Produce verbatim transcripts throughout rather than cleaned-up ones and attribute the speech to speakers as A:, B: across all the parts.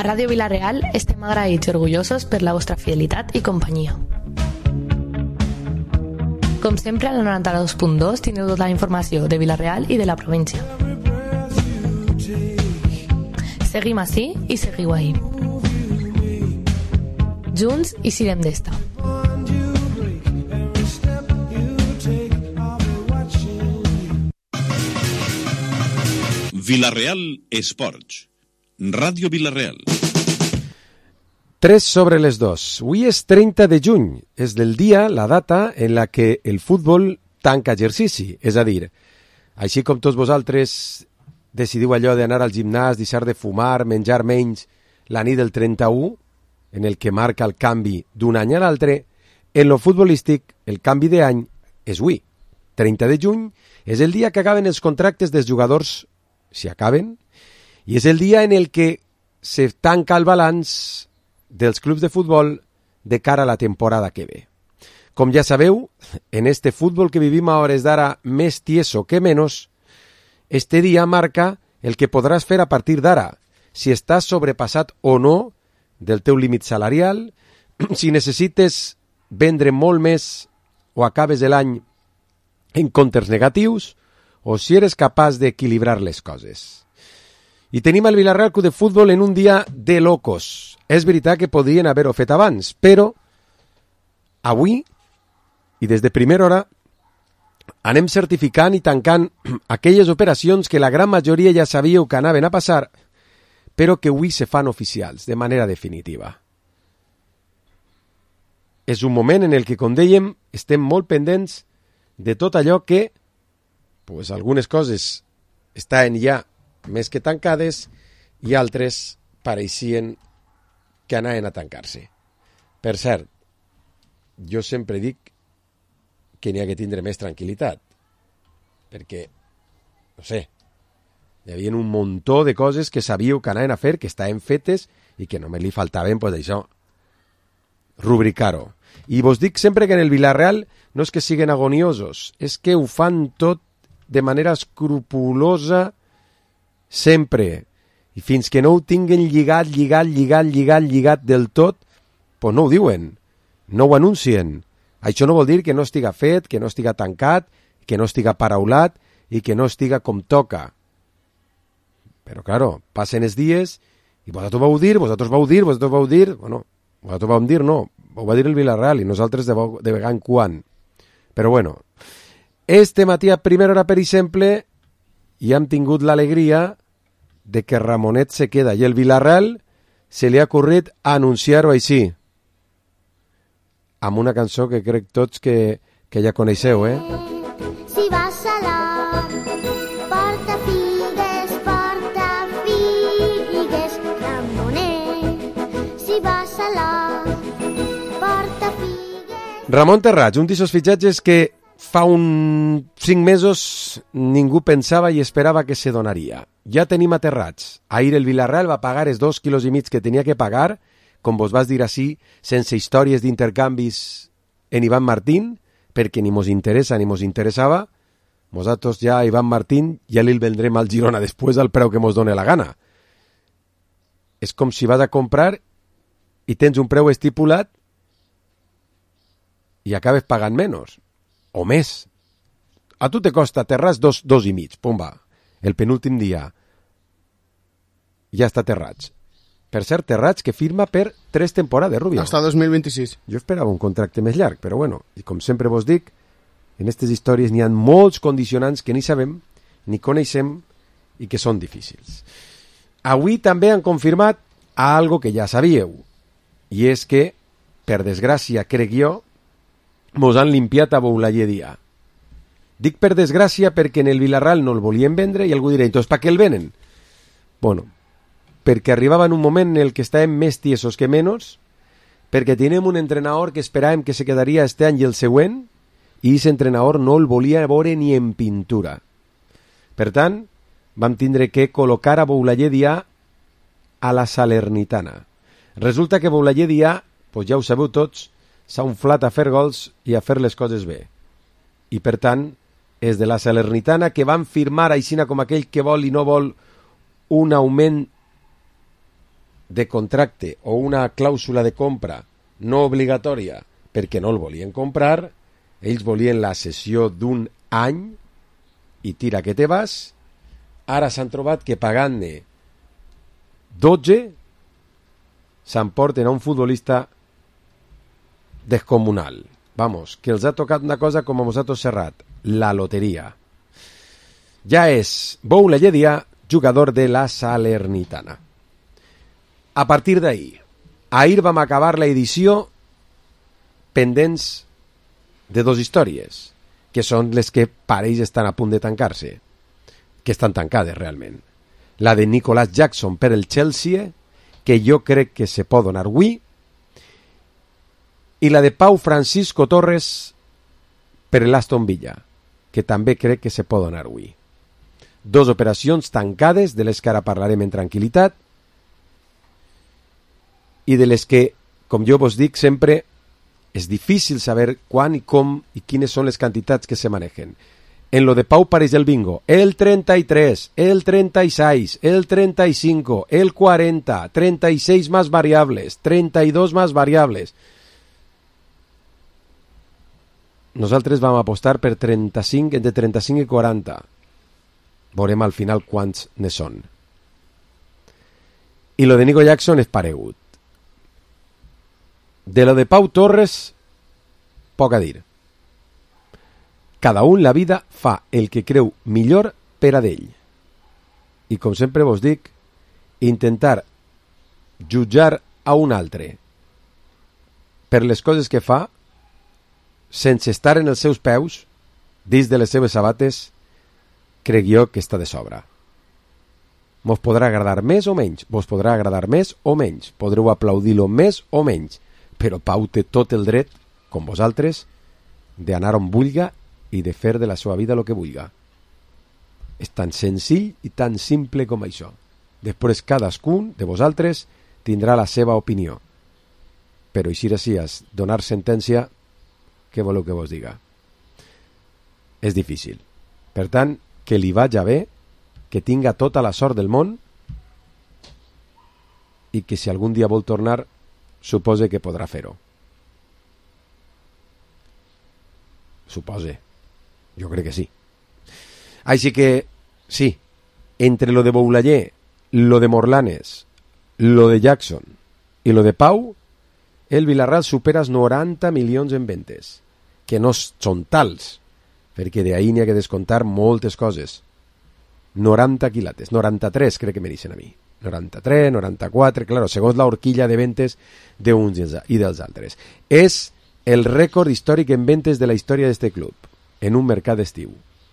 A: A Ràdio Vila-real estem agraïts i orgullosos per la vostra fidelitat i companyia. Com sempre, a la noranta-dos punt dos tindreu tota la informació de Vila-real i de la província. Seguim ací i seguiu ahí. Junts i sirem d'esta.
B: Vila-real Esports. Ràdio Vila-real.
C: tres sobre les dos. Avui és trenta de juny. És del dia, la data, en la que el futbol tanca exercici. És a dir, així com tots vosaltres decidiu allò d'anar al gimnàs, deixar de fumar, menjar menys la nit del trenta-u, en el que marca el canvi d'un any a l'altre, en lo futbolístic el canvi d'any és avui. trenta de juny és el dia que acaben els contractes dels jugadors, si acaben, i és el dia en el que se tanca el balanç dels clubs de futbol de cara a la temporada que ve. Com ja sabeu, en este futbol que vivim a hores d'ara més tieso que menos, este dia marca el que podràs fer a partir d'ara, si estàs sobrepassat o no del teu límit salarial, si necessites vendre molt més o acabes l'any en comptes negatius, o si eres capaç d'equilibrar les coses. I tenim el Vila-real Club de Futbol en un dia de locos. És veritat que podrien haver-ho fet abans, però avui, i des de primera hora, anem certificant i tancant aquelles operacions que la gran majoria ja sabíeu que anaven a passar, però que avui se fan oficials, de manera definitiva. És un moment en el que, com dèiem, estem molt pendents de tot allò que, pues, algunes coses estan ja més que tancades i altres pareixien que anaven a tancar-se. Per cert, jo sempre dic que n'hi ha que tindre més tranquil·litat, perquè, no sé, hi havia un muntó de coses que sabíeu que anaven a fer, que estaven fetes i que només li faltaven, pues, això, rubricar-ho. I vos dic sempre que en el Vila-real no és que siguin agoniosos, és que ho fan tot de manera escrupulosa sempre. I fins que no ho tinguen lligat, lligat, lligat, lligat, lligat del tot, pues no ho diuen, no ho anuncien. Això no vol dir que no estiga fet, que no estiga tancat, que no estiga paraulat i que no estiga com toca. Però, claro, passen els dies i vosaltres vau dir, vosaltres vau dir, vosaltres vau dir... Bueno, vosaltres vau dir, no, ho va dir el Vila-real i nosaltres de, de vegada en quan. Però, bueno, este matí a primera hora, per exemple, ja hem tingut l'alegria de que Ramonet se queda i el Vila-real se li ha ocorrit anunciar-ho així, amb una cançó que crec tots que, que ja coneixeu, eh?
D: Si vas a la porta figues, porta figues, Ramonet. Si vas a la porta figues...
C: Ramon Terrats, un d'aquests fitxatges que fa un cinc mesos ningú pensava i esperava que se donaria. Ja tenim a Terrats. Ahir el Vila-real va pagar els dos quilos i mig que tenia que pagar, com vos vas dir així, sense històries d'intercanvis en Iván Martín, perquè ni mos interessa ni mos interessava. Nosaltres ja a Iván Martín ja li vendrem al Girona després al preu que mos doni la gana. És com si vas a comprar i tens un preu estipulat i acabes pagant menys, o més. A tu te costa Terrats dos, dos i mig, pum va. El penúltim dia ja està Terrats. Per cert, Terrats que firma per tres temporades, Rubio.
E: Hasta dos mil vint-i-sis.
C: Jo esperava un contracte més llarg, però bueno, i com sempre vos dic, en aquestes històries n'hi ha molts condicionants que ni sabem, ni coneixem i que són difícils. Avui també han confirmat algo que ja sabíeu, i és que, per desgràcia, crec jo, mos han limpiat a Boulaye Dia. Dic per desgràcia perquè en el Vila-real no el volien vendre i algú dirà, entonces, ¿para què el venen? Bueno, perquè arribava en un moment en el que estàvem més tiesos que menys, perquè tenim un entrenador que esperàvem que se quedaria este any i el següent, i aquest entrenador no el volia veure ni en pintura. Per tant, vam tindre que col·locar a Boulaye Dia a la Salernitana. Resulta que Boulaye Dia, pues ja ho sabeu tots, s'ha inflat a fer gols i a fer les coses bé. I per tant, és de la Salernitana que van firmar aixina com aquell que vol i no vol un augment de contracte o una clàusula de compra no obligatòria perquè no el volien comprar, ells volien la cessió d'un any i tira que te vas. Ara s'han trobat que pagant-ne dotze s'emporten a un futbolista descomunal. Vamos, que els ha tocat una cosa com a Mosato Serrat, la loteria. Ja és Boula Lledia, jugador de la Salernitana. A partir d'ahir, ahir vam acabar la edició pendents de dos històries, que són les que pareix estan a punt de tancar-se, que estan tancades realment. La de Nicolas Jackson per el Chelsea, que jo crec que se pot donar avui, i la de Pau Francisco Torres per l'Aston Villa, que també crec que se pot donar avui. Dos operacions tancades, de les que ara parlarem en tranquil·litat, i de les que, com jo vos dic sempre, és difícil saber quan i com i quines són les quantitats que se manejen. En lo de Pau pareix el bingo. El treinta y tres, el treinta y seis, el treinta y cinco, el cuarenta, treinta y seis más variables, treinta y dos más variables. Nosaltres vam apostar per trenta-cinc, entre trenta-cinc i quaranta. Veurem al final quants ne són. I lo de Nico Jackson és paregut. De lo de Pau Torres, poc a dir. Cada un la vida fa el que creu millor per a d'ell. I com sempre vos dic, intentar jutjar a un altre per les coses que fa sense estar en els seus peus, dins de les seves sabates, crec jo que està de sobra. Mos podrà agradar més o menys, vos podrà agradar més o menys, podreu aplaudir-lo més o menys, però Pau té tot el dret, com vosaltres, d'anar on vulga i de fer de la seva vida el que vulga. És tan senzill i tan simple com això. Després cadascun de vosaltres tindrà la seva opinió. Però així així, donar sentència, què voleu que vos diga? És difícil. Per tant, que li vaja bé, que tinga tota la sort del món i que si algun dia vol tornar, supose que podrà fer-ho. Supose. Jo crec que sí. Així que, sí, entre lo de Boulayer, lo de Morlanes, lo de Jackson i lo de Pau, el Villarreal supera els noranta milions en ventes, que no són tals, perquè d'ahir n'hi ha que descontar moltes coses. noranta quilates, noranta-tres crec que me dicen a mi. noranta-tres, noranta-quatre, claro, segons la horquilla de ventes d'uns i dels altres. És el rècord històric en ventes de la història d'este club, en un mercat d'estiu.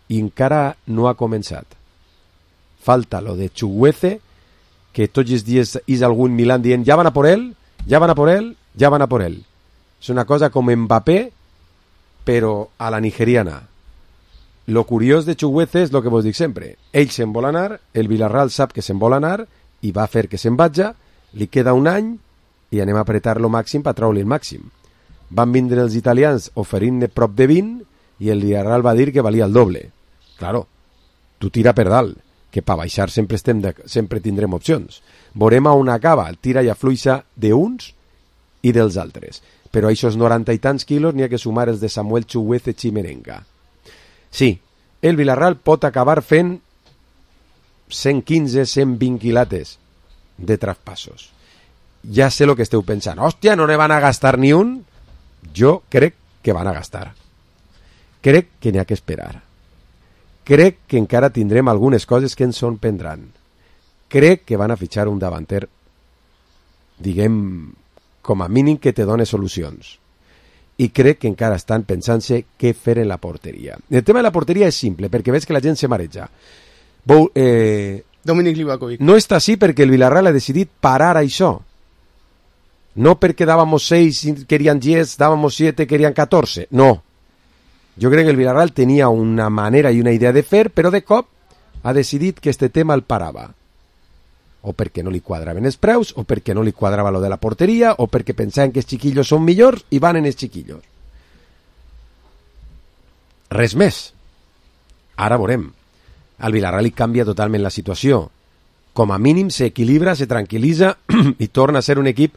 C: I encara no ha començat. Falta lo de Chuguece, que tots els dies és algun Milan dient ja van a por él, ja van a por él, ja van a por él. És una cosa com Mbappé, però a la nigeriana. Lo curiós de Chuguece és el que vos dic sempre. Ell se'n vol anar, el Villarreal sap que se'n vol anar i va fer que se'n vagi, li queda un any i anem a apretar lo màxim per treure-li el màxim. Van vindre els italians oferint-ne prop de vint i el Villarreal va dir que valia el doble. Claro, tu tira per dalt, que per baixar sempre, estem de, sempre tindrem opcions. Veurem a on acaba el tira i afluixa d'uns i dels altres. Però a aquests noranta i tants quilos n'hi ha que sumar els de Samuel Chuguece Chimerenga. Sí, el Villarreal pot acabar fent cent quinze, cent vint quilates de traspassos. Ja sé el que esteu pensant. Hòstia, no ne van a gastar ni un? Jo crec que van a gastar. Crec que n'hi ha que esperar. Crec que encara tindrem algunes coses que ens sorprendran. Crec que van a fitxar un davanter, diguem, com a mínim que te done solucions. I crec que encara estan pensant-se què fer en la porteria. El tema de la porteria és simple, perquè veig que la gent se mareja. Bou, eh,
E: Dominic Livakovic.
C: No està així perquè el Villarreal ha decidit parar això. No perquè dàvamos seis, querían diez, dàvamos siete, querían catorze. No. Jo crec que el Villarreal tenia una manera i una idea de fer, però de cop ha decidit que este tema el parava. O perquè no li quadraven els preus, o perquè no li quadrava lo de la porteria, o perquè pensaven que els xiquillos són millors i van en els xiquillos. Res més. Ara veurem. Al Villarreal li canvia totalment la situació. com a mínim s'equilibra, se tranquil·litza i torna a ser un equip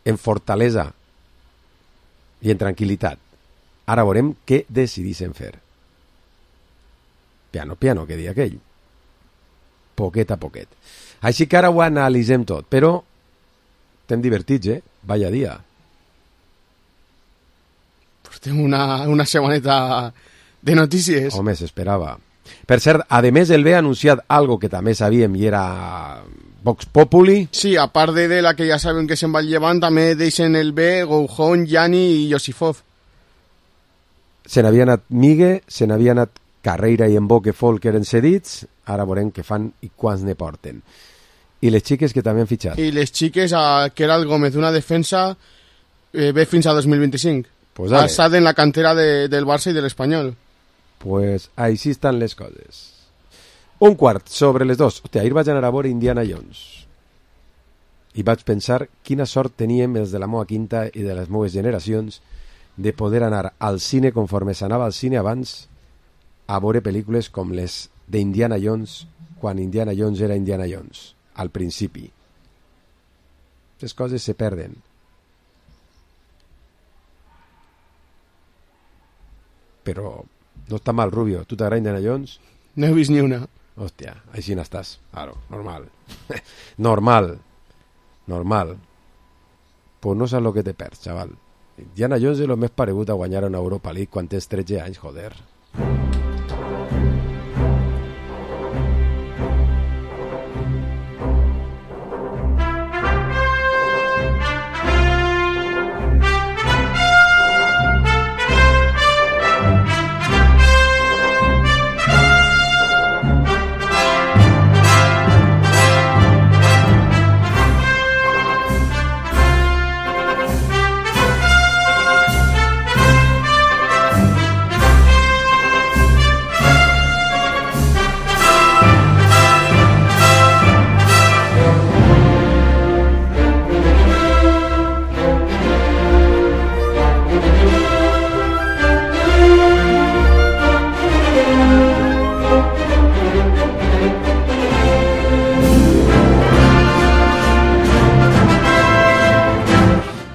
C: en fortalesa i en tranquil·litat. Ara veurem què decidissin fer. Piano, piano, que dia aquell. Poquet a poquet. Així que ara ho analitzem tot, però estem divertits, eh? Vaya dia.
E: Portem una, una setmaneta de notícies.
C: Home, s'esperava. Per cert, a més, el B ha anunciat algo que també sabíem i era Vox Populi.
E: Sí, a part de, de la que ja sabem que se'n va llevant, també deixen el B, Goujón, Yani i Yosifov.
C: Se n'havia anat Migue, se n'havia anat Carreira i Emboque Folk eren cedits, ara veurem què fan i quants ne porten. I les xiques que també han fitxat.
E: I les xiques, a Keral Gómez, una defensa, eh, ve fins a dos mil vint-i-cinc.
C: Pues
E: ha estat en la cantera de, del Barça i de l'Espanyol.
C: Pues així estan les coses. Un quart sobre les dos. Hòstia, ahir vaig anar a veure Indiana Jones i vaig pensar quina sort teníem els de la meua quinta i de les meues generacions de poder anar al cine conforme s'anava al cine abans a veure pel·lícules com les d'Indiana Jones quan Indiana Jones era Indiana Jones al principi. Les coses se perden. Però no està mal, Rubio. Tu t'agrada Indiana Jones?
E: No he vist ni una.
C: Hòstia, així n'estàs. Claro, normal. normal. Normal. Pues no saps lo que te perds, xaval. Indiana Jones és el més paregut a guanyar una Europa League quan tens tretze anys, joder.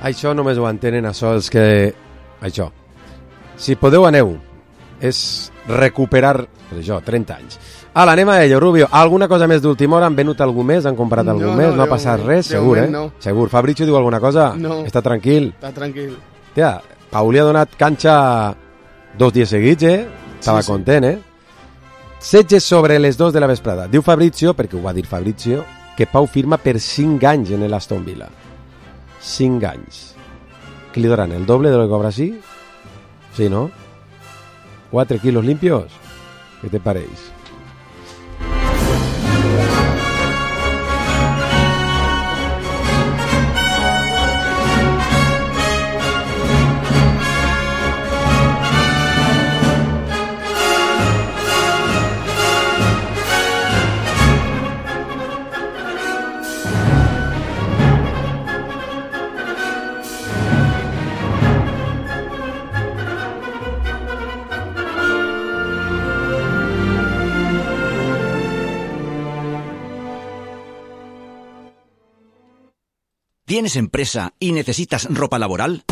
C: Això només ho entenen això els que... Això. Si podeu, aneu. És recuperar, pues això, trenta anys. Ala, anem a ello, Rubio. Alguna cosa més d'última hora? Han venut algú més? Han comprat algú
E: no,
C: més?
E: No,
C: no ha passat res? Segur, eh?
E: No.
C: Segur. Fabrizio diu alguna cosa?
E: No.
C: Està tranquil?
E: Està tranquil.
C: Tia, Pau li ha donat canxa dos dies seguits, eh? Estava sí, sí. content, eh? setze sobre les dos de la vesprada. Diu Fabrizio, perquè ho va dir Fabrizio, que Pau firma per cinc anys en l'Aston Villa. cinc anys. ¿Qué le darán? ¿El doble de lo que cobra así? Sí, ¿no? ¿Cuatro kilos limpios? ¿Qué te parece?
F: ¿Tienes empresa y necesitas ropa laboral?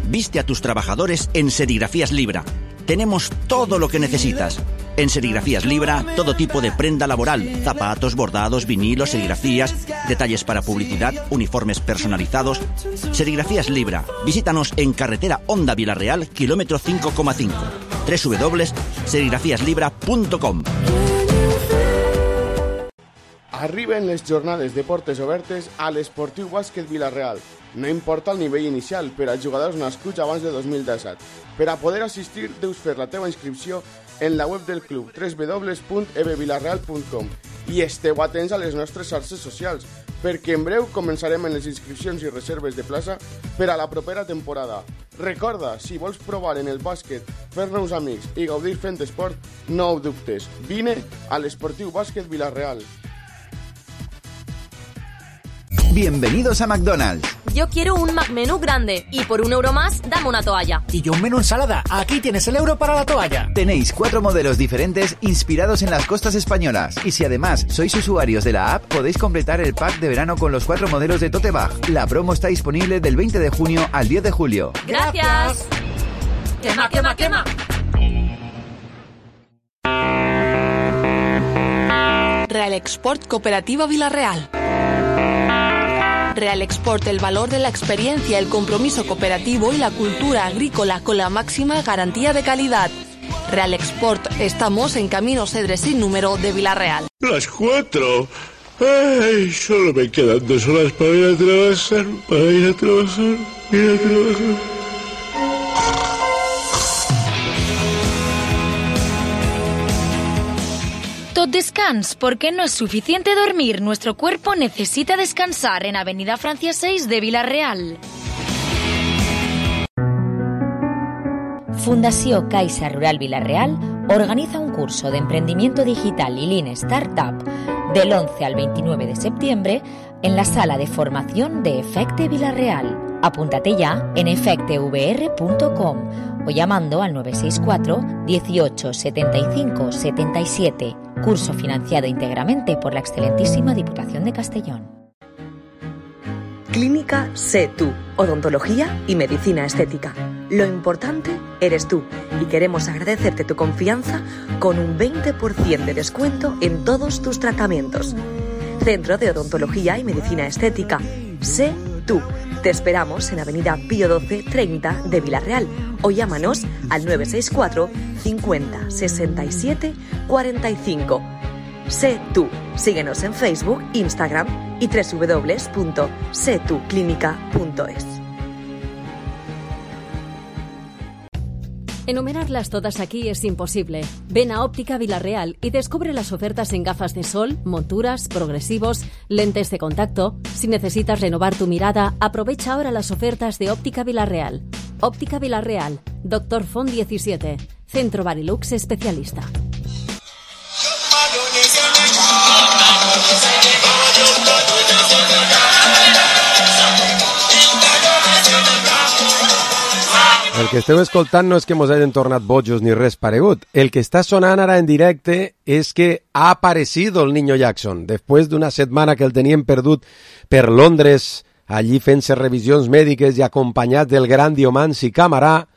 F: Viste a tus trabajadores en Serigrafías Libra. Tenemos todo lo que necesitas. En Serigrafías Libra, todo tipo de prenda laboral, zapatos, bordados, vinilos, serigrafías, detalles para publicidad, uniformes personalizados. Serigrafías Libra. Visítanos en carretera Honda Vilareal, kilómetro cinco coma cinco. doble u doble u doble u punto serigrafías libra punto com.
E: Arriben les jornades de portes obertes a l'Esportiu Bàsquet Vila-real. No importa el nivell inicial per a jugadors nascuts abans de dos mil disset. Per a poder assistir, deus fer la teva inscripció en la web del club doble u doble u doble u punt e b vilareal punt com i esteu atents a les nostres xarxes socials, perquè en breu començarem en les inscripcions i reserves de plaça per a la propera temporada. Recorda, si vols provar en el bàsquet, fer nous amics i gaudir fent esport, no ho dubtes. Vine a l'Esportiu Bàsquet Vila-real.
G: Bienvenidos a McDonald's. yo quiero un McMenú grande y por un euro más, dame una toalla.
H: Y yo un menú ensalada. Aquí tienes el euro para la toalla.
I: Tenéis cuatro modelos diferentes inspirados en las costas españolas. Y si además sois usuarios de la app, podéis completar el pack de verano con los cuatro modelos de tote bag. La promo está disponible del veinte de junio al diez de julio.
G: ¡Gracias! ¡Quema, quema, quema!
A: Real Export Cooperativa Villarreal. Real Export, el valor de la experiencia, el compromiso cooperativo y la cultura agrícola con la máxima garantía de calidad. Real Export, estamos en Camino Cedres sin número de Villarreal.
J: Las cuatro. Ay, solo me quedan dos horas para ir a trabajar, para ir a trabajar, ir a trabajar.
K: Tot descans, porque no es suficiente dormir. Nuestro cuerpo necesita descansar en Avenida Francia seis de Villarreal.
L: Fundació Caixa Rural Villarreal organiza un curso de emprendimiento digital y Lean Startup del once al veintinueve de septiembre en la sala de formación de Efecte Villarreal. Apúntate ya en efecte v r punto com o llamando al nueve seis cuatro dieciocho setenta y cinco setenta y siete. Curso financiado íntegramente por la excelentísima Diputación de Castellón.
M: Clínica Sé Tú, odontología y medicina estética. Lo importante eres tú y queremos agradecerte tu confianza con un veinte por ciento de descuento en todos tus tratamientos. Centro de Odontología y Medicina Estética. Sé Tú. Te esperamos en Avenida Pío doce treinta de Villarreal o llámanos al nueve seis cuatro cincuenta sesenta y siete cuarenta y cinco. Sé Tú. Síguenos en Facebook, Instagram y doble u doble u doble u punto sé tú clínica punto es.
N: Enumerarlas todas aquí es imposible. Ven a Óptica Villarreal y descubre las ofertas en gafas de sol, monturas, progresivos, lentes de contacto. Si necesitas renovar tu mirada, aprovecha ahora las ofertas de Óptica Villarreal. Óptica Villarreal, Doctor Font diecisiete, Centro Barilux Especialista.
C: El que esteu escoltant no és que mos hagin tornat bojos ni res paregut. El que està sonant ara en directe és que ha aparecido el Niño Jackson. Després d'una setmana que el tenien perdut per Londres, allí fent-se revisions mèdiques i acompanyat del gran Diomansi Camarà,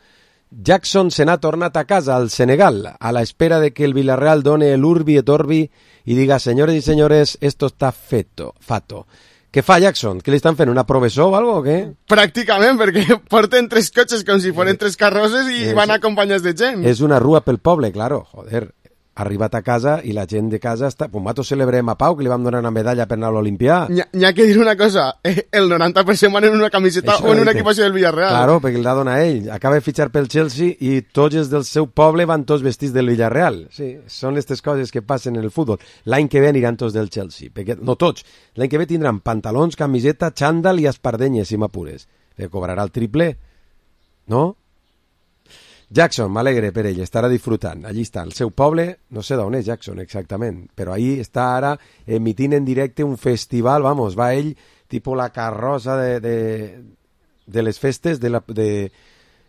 C: Jackson se n'ha tornat a casa, al Senegal, a la espera de que el Villarreal done el urbi et orbi i diga, senyores i senyores, esto está feto, fato. Què fa, Jackson? Què li estan fent? Una professor o algo o què?
E: Pràcticament, perquè porten tres cotxes com si foren tres carrosses i van acompanyats de gent.
C: És una rua pel poble, claro. Joder, ha arribat a casa i la gent de casa està... Pues mato celebrem a Pau, que li vam donar una medalla per anar a l'Olimpià.
E: N'hi ha que dir una cosa, el noranta per cent van en una camiseta Això o en una equipació del Villarreal.
C: Claro, perquè l'ha donat ell. Acaba de fitxar pel Chelsea i tots els del seu poble van tots vestits del Villarreal. Sí, són aquestes coses que passen en el futbol. L'any que ve aniran tots del Chelsea. Perquè, no tots. L'any que ve tindran pantalons, camiseta, xandall i espardenyes, si m'apures. Perquè cobrarà el triple. No? Jackson, m'alegre per ell, estarà disfrutant. Allí està, el seu poble, no sé d'on és Jackson exactament, però ahí està ara emitint en directe un festival, vamos, va ell, tipus la carrossa de, de, de les festes de la, de,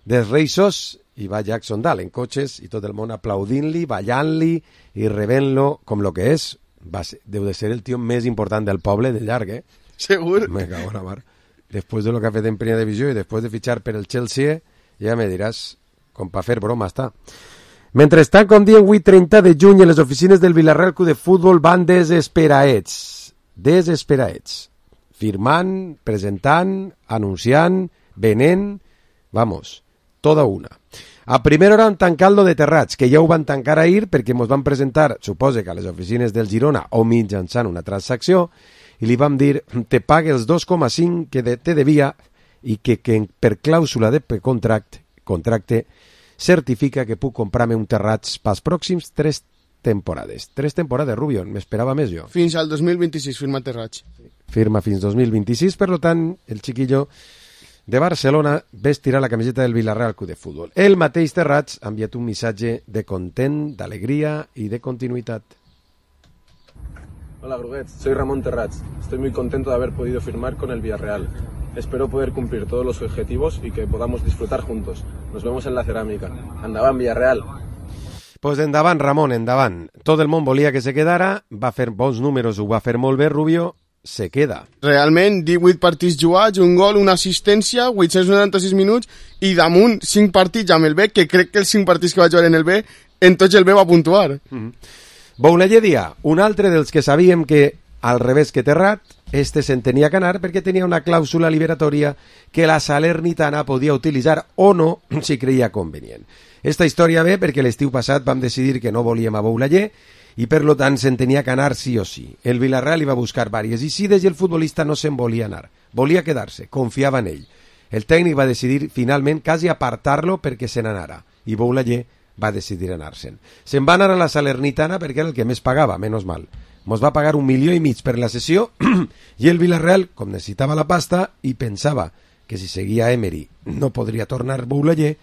C: dels Reisos, i va Jackson dalt, en cotxes, i tot el món aplaudint-li, ballant-li i rebent-lo com lo que és. Va ser, deu de ser el tio més important del poble de llarg, eh?
E: Segur.
C: Me cago en la mar. Després de lo que ha fet en primera divisió i després de fitxar per el Chelsea, ja me diràs... com per fer broma està. Mentrestant, com diem, avui trenta de juny, les oficines del Villarreal Club de Futbol van desesperaets. Desesperaets. Firmant, presentant, anunciant, venent, vamos, tota una. A primera hora han tancat lo de Terrats, que ja ho van tancar ahir perquè ens van presentar, suposa que a les oficines del Girona o mitjançant una transacció, i li vam dir, te pague els dos coma cinc que de, te devia i que, que per clàusula de contracte, contracte certifica que puc comprar-me un Terrats pels pròxims tres temporades. Tres temporades, Rubion, m'esperava més jo.
E: Fins al dos mil vint-i-sis firma Terrats.
C: Firma fins dos mil vint-i-sis, per tant, el chiquillo de Barcelona vestirà la camiseta del Villarreal Club de Fútbol. El mateix Terrats ha enviat un missatge de content, d'alegria y de continuïtat.
O: Hola, Gruguets, soy Ramón Terrats. Estoy muy contento de haber podido firmar con el Villarreal. Espero poder cumplir todos los objetivos y que podamos disfrutar juntos. Nos vemos en la cerámica. Endavant, Villarreal.
C: Pues endavant, Ramon, endavant. Tot el món volia que se quedara, va fer bons números, ho va fer molt bé, Rubio, se queda.
E: Realment, divuit partits jugats, un gol, una assistència, vuit-cents noranta-sis minuts, i damunt cinc partits amb el B, que crec que els cinc partits que va jugar en el B, en tots el B va puntuar.
C: Mm-hmm. Boulaye dia, un altre dels que sabíem que, al revés que Terrat, este se'n tenia que anar perquè tenia una clàusula liberatòria que la Salernitana podia utilitzar o no si creia convenient. Esta història ve perquè l'estiu passat vam decidir que no volíem a Boulaye i per lo tant se'n tenia que anar sí o sí. El Villarreal hi va buscar vàries icides i el futbolista no se'n volia anar. Volia quedar-se, confiava en ell. El tècnic va decidir finalment quasi apartar-lo perquè se n'anara i Boulaye va decidir anar-se'n. Se'n va anar a la Salernitana perquè era el que més pagava, menys mal. Mos va pagar un milió i mig per la sessió i el Villarreal, com necessitava la pasta i pensava que si seguia Emery no podria tornar Boulaye,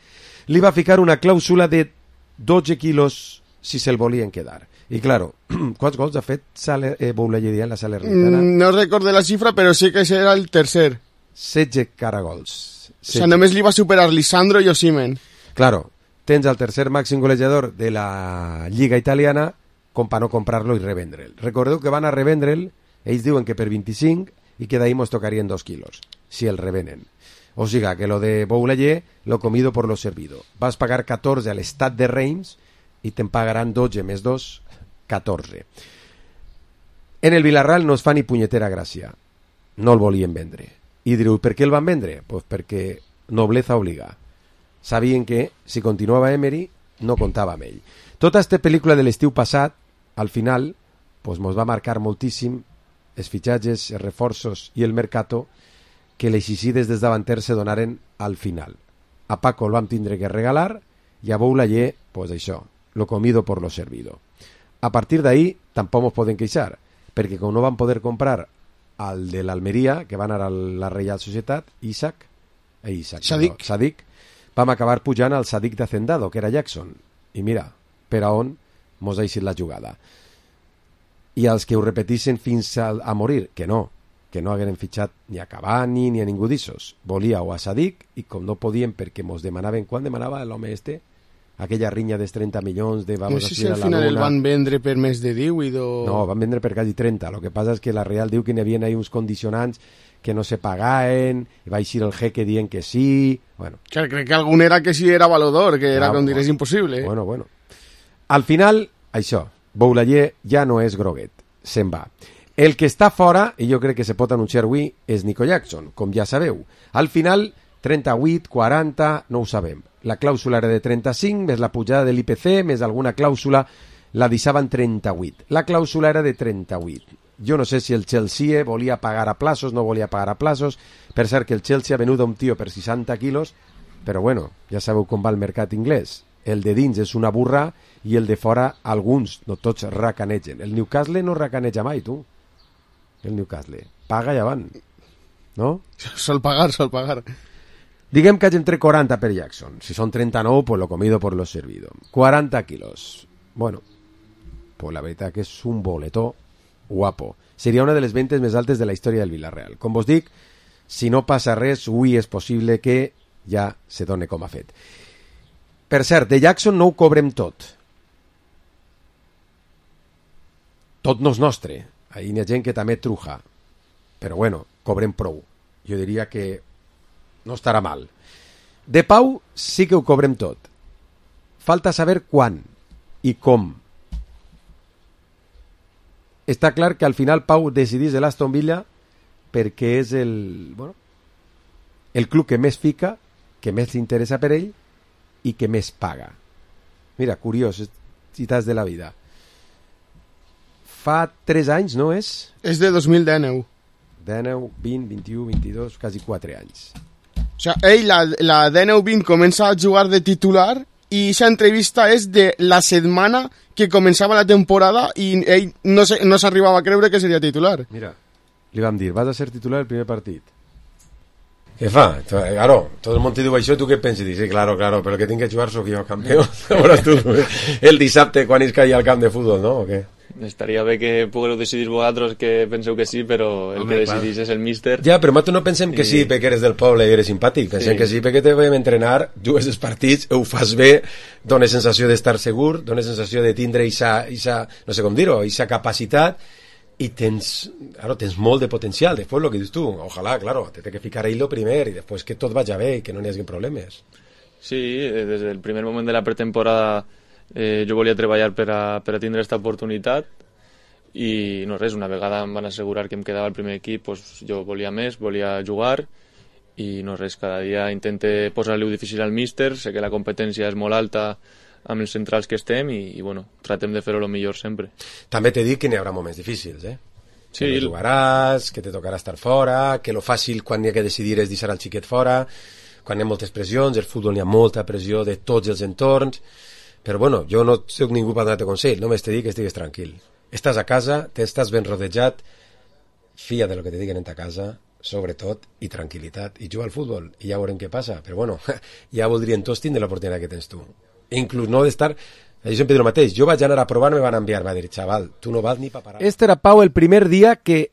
C: li va ficar una clàusula de dotze quilos si se'l volien quedar. I claro, quants gols ha fet Saler, eh, Boulaye en la Salernitana?
E: Mm, no recordo la xifra, però sí que era el tercer.
C: setze caragols.
E: O sea, només li va superar Lisandro i Osimhen.
C: Claro, tens el tercer màxim golejador de la Lliga Italiana com per no comprar-lo i revendre'l. Recordeu que van a revendre'l, ells diuen que per vint-i-cinc i que d'ahí mos tocarien dos quilos, si el revenen. O siga, que lo de Boulaye, lo comido por lo servido. Vas pagar catorze a l'estat de Reims i te'n pagaran dotze més dos, catorze. En el Villarreal no es fa ni punyetera gràcia. No el volien vendre. I direu, per què el van vendre? Pues perquè nobleza obliga. Sabien que, si continuava Emery, no comptava amb ell. Tota aquesta pel·lícula de l'estiu passat, al final, pues mos va marcar moltíssim els fitxatges, els reforços i el mercato que les icides des davanters se donaren al final. A Paco el vam tindre que regalar i a Boulaye, pues això, lo comido por lo servido. A partir d'ahí tampoc mos poden queixar, perquè com no van poder comprar al de l'Almeria, que van anar a la Reial Societat, Isaac, eh, Isaac
E: Sadik.
C: No, Sadik, vam acabar pujant al Sadik de Hacendado, que era Jackson. I mira, per a on mos ha eixit la jugada. I els que ho repetissin fins a, a morir, que no, que no hagueren fitxat ni a Cavani ni a ningú d'issos. Volia o a Sadik, i com no podien perquè mos demanaven, quan demanava l'home este? Aquella rinya dels trenta milions de vamos
E: no sé
C: a
E: si al final el van vendre per més de divuit o...
C: No, van vendre per quasi trenta. Lo que passa és que la Real diu que n'hi havia ahí uns condicionants que no se pagaven, i va eixir el jeque dient que sí... Bueno.
E: Que crec que algun era que sí era valedor, que era
C: ah,
E: com dirés impossible.
C: Bueno, bueno. Al final, això, Boulaye ja no és groguet, se'n va. El que està fora, i jo crec que se pot anunciar avui, és Nico Jackson, com ja sabeu. Al final, trenta-vuit, quaranta, no ho sabem. La clàusula era de trenta-cinc, més la pujada de l'I P C, més alguna clàusula, la deixaven trenta-vuit. La clàusula era de trenta-vuit. Jo no sé si el Chelsea volia pagar a plazos, no volia pagar a plazos. Per cert que el Chelsea ha venut a un tio per seixanta quilos, però bueno, ja sabeu com va el mercat inglès. El de dins és una burra i el de fora alguns, no tots, racanegen. El Newcastle no racaneja mai, tu. El Newcastle. Paga i avant. No?
E: Sol pagar, sol pagar.
C: Diguem que hagi entre quaranta per Jackson. Si són trenta-nou, pues lo comido por lo servido. quaranta quilos. Bueno, pues la veritat que és un boletó guapo. Seria una de les ventes més altes de la història del Villarreal. Com vos dic, si no passa res, avui és possible que ja se done com ha fet. Per cert, de Jackson no ho cobrem tot. Tot no és nostre. Ahí hi ha gent que també truja. Però bueno, cobrem prou. Jo diria que no estarà mal. De Pau sí que ho cobrem tot. Falta saber quan i com. Està clar que al final Pau decidís de l'Aston Villa perquè és el, bueno, el club que més fica, que més li interessa per ell i que més paga. Mira, curiós, citats de la vida. Fa tres anys, no és?
E: És de dos mil dinou.
C: dinou, vint, vint-i-u, vint-i-dos, quasi quatre anys.
E: O sea, ell, la, la dinou vint comença a jugar de titular i aquesta entrevista és de la setmana que començava la temporada i ell no s'arribava no a creure que seria titular.
C: Mira, li vam dir, vas a ser titular el primer partit. Què fa? Claro, tot el món te diu això, tu què penses? Dius, sí, claro, claro, però el que tinc que jugar sóc jo, campió. Tu, el dissabte quan es caia al camp de futbol, no? O què?
P: estaria bé que pugueu decidir vosaltres, que penseu que sí, però el Home, que decidís és el míster.
C: Ja, però nosaltres no pensem que I... sí perquè eres del poble i eres simpàtic, pensem sí. que sí perquè te vam entrenar, jugues els partits, ho fas bé, dones sensació d'estar segur, dones sensació de tindre isa, isa, no sé com dir-ho, isa capacitat, i tens, claro, tens molt de potencial. Després el que dius tu, ojalà, claro, te té que ficar ahí lo primer i després que tot vagi bé i que no n'hi hagi problemes.
P: Sí, des del primer moment de la pretemporada eh, jo volia treballar per a, per a tindre aquesta oportunitat i no res, una vegada em van assegurar que em quedava al primer equip, pues, jo volia més, volia jugar i no res, cada dia intente posar-li-ho difícil al míster, sé que la competència és molt alta amb els centrals que estem i, i bueno, tratem de fer-ho el millor sempre.
C: També t'he dit que n'hi haurà moments difícils, eh?
P: Sí.
C: Que no jugaràs, que te tocarà estar fora, que lo fàcil quan hi ha que decidir és deixar el xiquet fora, quan hi ha moltes pressions, el futbol hi ha molta pressió de tots els entorns, però bueno, jo no soc ningú per donar-te consell, només te dic que estigues tranquil. Estàs a casa, t'estàs ben rodejat, fia de lo que te diguen en ta casa, sobretot, i tranquil·litat, i juga al futbol, i ja veurem què passa, però bueno, ja voldrien tots tindre l'oportunitat que tens tu. Inclús no d'estar... Jo sempre dic el mateix, jo vaig anar a provar, me van enviar, va dir, xaval, tu no vas ni pa parar. Este era Pau el primer dia que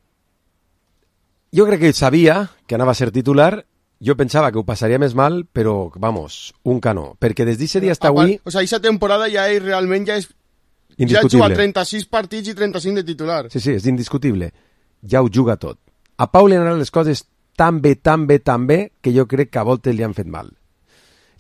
C: jo crec que sabia que anava a ser titular. Jo pensava que ho passaria més mal, però, vamos, un canó. Perquè des d'aquest dia hasta avui...
E: O sea, aquesta temporada ja és, realment ja és... Ja juga trenta-sis partits i trenta-cinc de titular.
C: Sí, sí, és indiscutible. Ja ho juga tot. A Pau li han anat les coses tan bé, tan bé, tan bé, que jo crec que a voltes li han fet mal.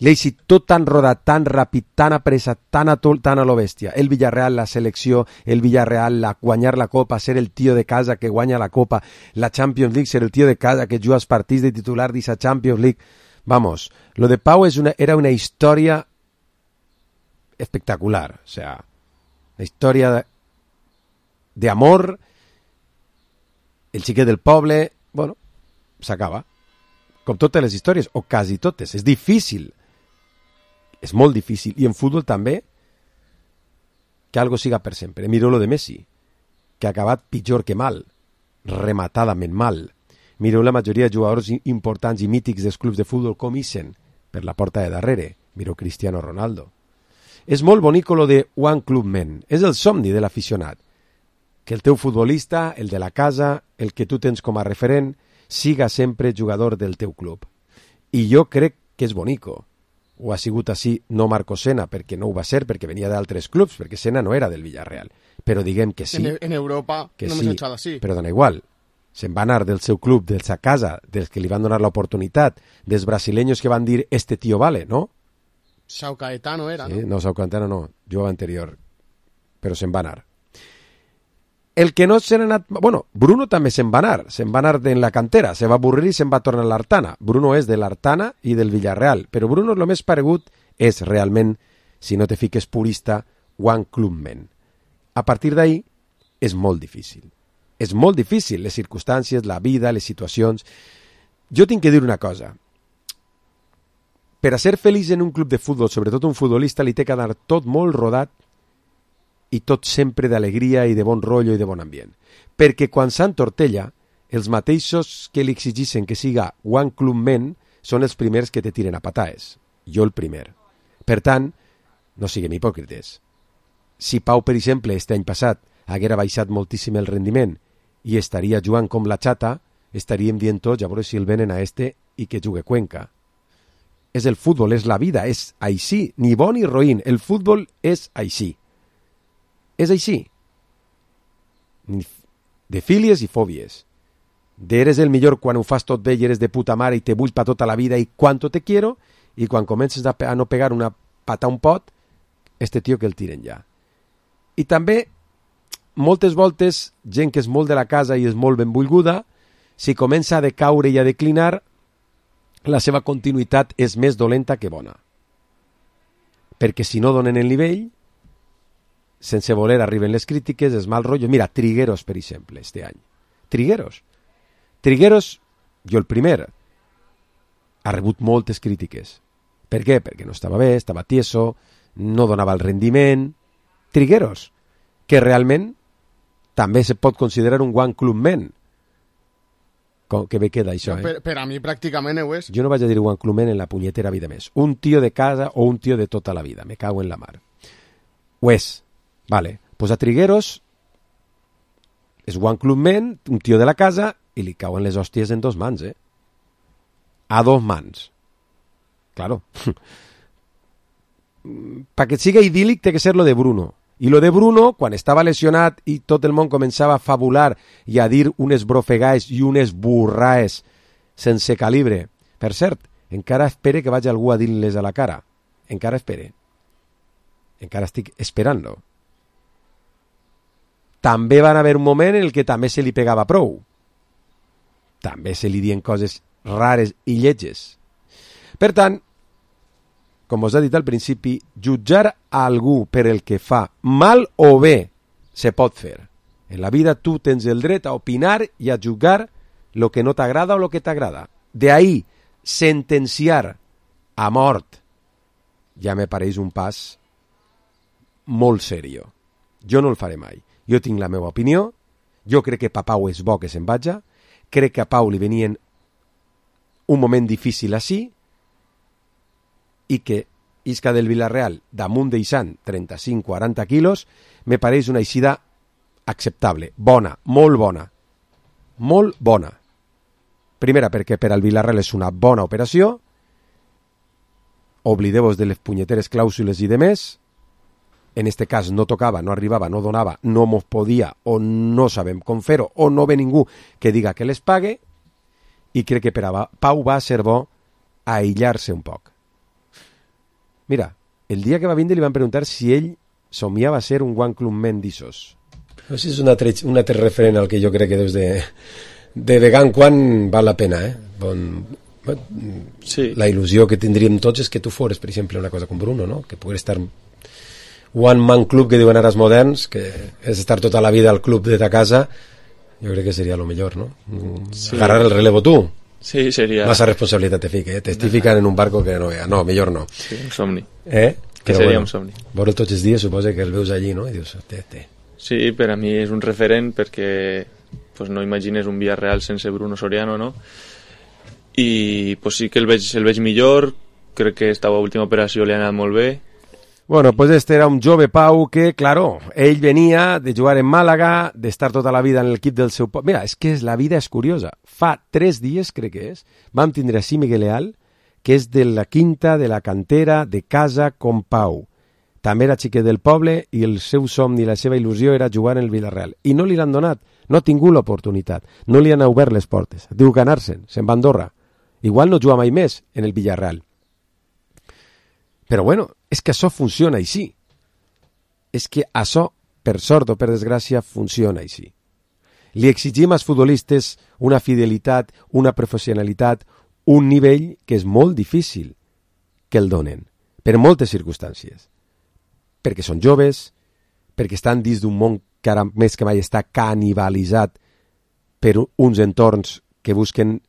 C: L'Eixi tot tan rodat, tan ràpid, tan apressat, tan a, tan a lo bèstia. El Villarreal, la selecció, el Villarreal, la, guanyar la Copa, ser el tio de casa que guanya la Copa, la Champions League, ser el tio de casa que juga els partits de titular d'esa Champions League. Vamos, lo de Pau és una, era una història espectacular, o sea, una història de, de amor, el xiquet del poble, bueno, s'acaba. Com totes les històries, o quasi totes. És difícil. És molt difícil. I en futbol també, que algo siga per sempre. Mireu lo de Messi, que ha acabat pitjor que mal, rematadament mal. Mireu la majoria de jugadors importants i mítics dels clubs de futbol com ixen per la porta de darrere. Mireu Cristiano Ronaldo. És molt bonic lo de One Club Men. És el somni de l'aficionat. Que el teu futbolista, el de la casa, el que tu tens com a referent, siga sempre jugador del teu club. I jo crec que és bonico. Ho ha sigut així, no Marco Senna, perquè no ho va ser, perquè venia d'altres clubs, perquè Senna no era del Villarreal. Però diguem que sí.
E: En, en Europa
C: que
E: no
C: sí,
E: m'he echado així.
C: Però dona igual. Se'n va anar del seu club, de sa casa, dels que li van donar l'oportunitat, dels brasileños que van dir, este tío vale, ¿no?
E: Sao Caetano era,
C: sí,
E: no?
C: No, Sao Caetano no, jugava anterior. Però se'n va anar. El que no se n'ha anat... Bueno, Bruno també se'n va anar, se'n va anar en la cantera, se va avorrir i se'n va tornar a l'Artana. Bruno és de l'Artana i del Villarreal, però Bruno el més paregut és realment, si no te fiques purista, One Club Men. A partir d'ahí és molt difícil. És molt difícil, les circumstàncies, la vida, les situacions. Jo tinc que dir una cosa. Per a ser feliç en un club de futbol, sobretot un futbolista, li té que anar tot molt rodat i tot sempre d'alegria i de bon rotllo i de bon ambient. Perquè quan Sant Tortella, els mateixos que li exigeixen que siga One Club Men són els primers que te tiren a pataes. Jo el primer. Per tant, no siguem hipòcrites. Si Pau, per exemple, este any passat haguera baixat moltíssim el rendiment i estaria jugant com la xata, estaríem dient tots, a veure si el venen a este i que jugue Cuenca. És el futbol, és la vida, és així, ni bon ni roïn, el futbol és així. És així. De fílies i fòbies. D'eres el millor quan ho fas tot bé i eres de puta mare i te vull pa tota la vida i quanto te quiero, i quan comences a, a no pegar una pata a un pot, este tio que el tiren ja. I també, moltes voltes, gent que és molt de la casa i és molt benvolguda, si comença a decaure i a declinar, la seva continuïtat és més dolenta que bona. Perquè si no donen el nivell, sense voler arriben les crítiques, és mal rotllo. Mira, Trigueros, per exemple, este any. Trigueros. Trigueros, jo el primer, ha rebut moltes crítiques. Per què? Perquè no estava bé, estava tieso, no donava el rendiment. Trigueros, que realment també se pot considerar un One Club Men. Com que bé queda això, eh?
E: Per, per a mi pràcticament ho és.
C: Jo no vaig a dir One Club Men en la punyetera vida més. Un tio de casa o un tio de tota la vida. Me cago en la mar. Ho és. Vale, pues a Trigueros és One Club Men, un tio de la casa, i li cauen les hòsties en dos mans, eh? A dos mans. Claro. Pa que siga idíl·lic té que ser lo de Bruno. I lo de Bruno, quan estava lesionat i tot el món començava a fabular i a dir unes brofegaes i unes burraes sense calibre. Per cert, encara espere que vagi algú a dir-les a la cara. Encara espere. Encara estic esperant-lo. També van haver un moment en el que també se li pegava prou. També se li dien coses rares i lletges. Per tant, com us he dit al principi, jutjar a algú per el que fa mal o bé se pot fer. En la vida tu tens el dret a opinar i a jutjar lo que no t'agrada o lo que t'agrada. De ahí, sentenciar a mort ja me pareix un pas molt serio. Jo no el faré mai. Jo tinc la meva opinió, jo crec que pa Pau és bo que se'n vaja, crec que a Pau li venien un moment difícil així, i que isca del Villarreal damunt d'Eixant trenta-cinc a quaranta quilos me pareix una eixida acceptable, bona, molt bona, molt bona. Primera, perquè per al Villarreal és una bona operació, oblideu-vos de les punyeteres clàusules i demés, en este cas no tocava, no arribava, no donava, no mos podia o no sabem com fer-ho o no ve ningú que diga que les pague, i crec que per a Pau va ser bo aïllar-se un poc. Mira, el dia que va vindre li van preguntar si ell somiava ser un One Club Men d'Issos.
Q: Això és un altre, un altre referent al que jo crec que deus de, de vegan quan val la pena, eh? Bon, sí. La il·lusió que tindríem tots és que tu fores, per exemple, una cosa com Bruno, no? Que pogués estar One Man Club, que diuen ara els moderns, que és estar tota la vida al club de ta casa, jo crec que seria lo millor, no? Sí. Agarrar el relevo tu.
P: Sí, seria...
Q: Massa responsabilitat te fica, eh? T'estic ficant en un barco que no vea. No, millor no.
P: Sí, un somni.
Q: Eh?
P: Que
Q: Però
P: seria
Q: bueno,
P: un somni.
Q: Veure'l tots els dies, suposa que el veus allí, no? I dius, té, té.
P: Sí, per a mi és un referent perquè pues, no imagines un Villarreal sense Bruno Soriano, no? I pues, sí que el veig, el veig millor, crec que esta última operació li ha anat molt bé.
C: Bueno, pues este era un jove Pau que, claro, ell venia de jugar en Màlaga, d'estar tota la vida en l'equip del seu poble. Mira, és que la vida és curiosa. Fa tres dies, crec que és, vam tindre així Miguel Leal, que és de la quinta, de la cantera, de casa com Pau. També era xiquet del poble i el seu somni, la seva il·lusió era jugar en el Villarreal. I no li l'han donat, no ha tingut l'oportunitat, no li han obert les portes. Diu que anar-se'n, se'n va a Andorra. Igual no juga mai més en el Villarreal. Però bueno, és que això funciona així. És que això, per sort o per desgràcia, funciona així. Li exigim als futbolistes una fidelitat, una professionalitat, un nivell que és molt difícil que el donen, per moltes circumstàncies. Perquè són joves, perquè estan dins d'un món que ara més que mai està canibalitzat per uns entorns que busquen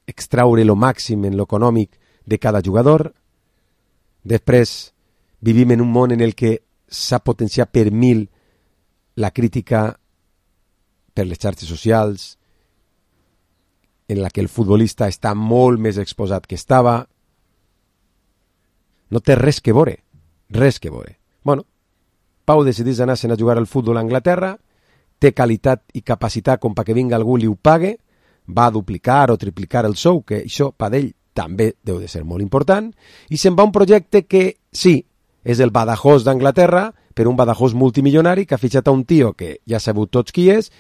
C: extraure lo màxim en lo econòmic de cada jugador. Després vivim en un món en el que s'ha potenciat per mil la crítica per les xarxes socials, en la que el futbolista està molt més exposat que estava. No té res que veure, res que veure. Bueno, Pau decidís anar-se'n a jugar al futbol a Anglaterra, té qualitat i capacitat com perquè vinga algú li ho pague, va duplicar o triplicar el sou, que això per ell també deu de ser molt important, i se'n va un projecte que, sí, és el Badajoz d'Anglaterra, però un Badajoz multimilionari que ha fitxat a un tio que ja sabut tots qui és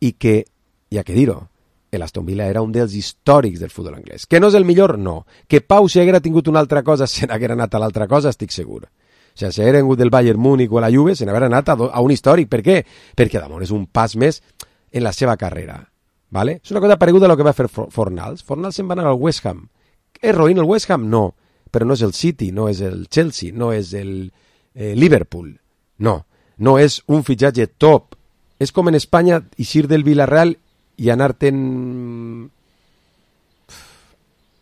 C: i que, ja que dir-ho, l'Aston Villa era un dels històrics del futbol anglès. Que no és el millor, no. Que Pau, si haguera tingut una altra cosa, se n'haguera anat a l'altra cosa, estic segur. O sigui, si haguera vingut del Bayern Múnich o a la Juve, se n'haguera anat a, a un històric. Per què? Perquè, d'amor, és un pas més en la seva carrera. ¿Vale? És una cosa pareguda a lo que va fer Fornals. Fornals se'n va anar al West Ham. ¿És roïn el West Ham? No. Però no és el City, no és el Chelsea, no és el eh, Liverpool. No. No és un fitxatge top. És com en Espanya eixir del Villarreal i anar-te'n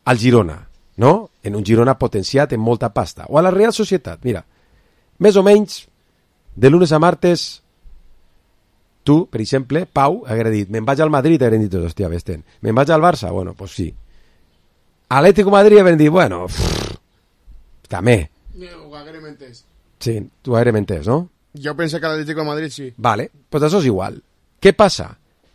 C: al Girona, no? En un Girona potenciat en molta pasta. O a la Real Societat, mira, més o menys, de lunes a martes, tu, per exemple, Pau, haguera dit, me'n vaig al Madrid, hagueren dit, hòstia, vés-te'n. Me'n vaig al Barça? Bueno, pues sí. Atlético Madrid hagueren dit, bueno, pff, també.
E: Ho haguerem entès.
C: Sí, tu haguerem entès, no?
E: Jo penso que l'Atlético de Madrid sí.
C: Vale, pues això és igual. Què passa?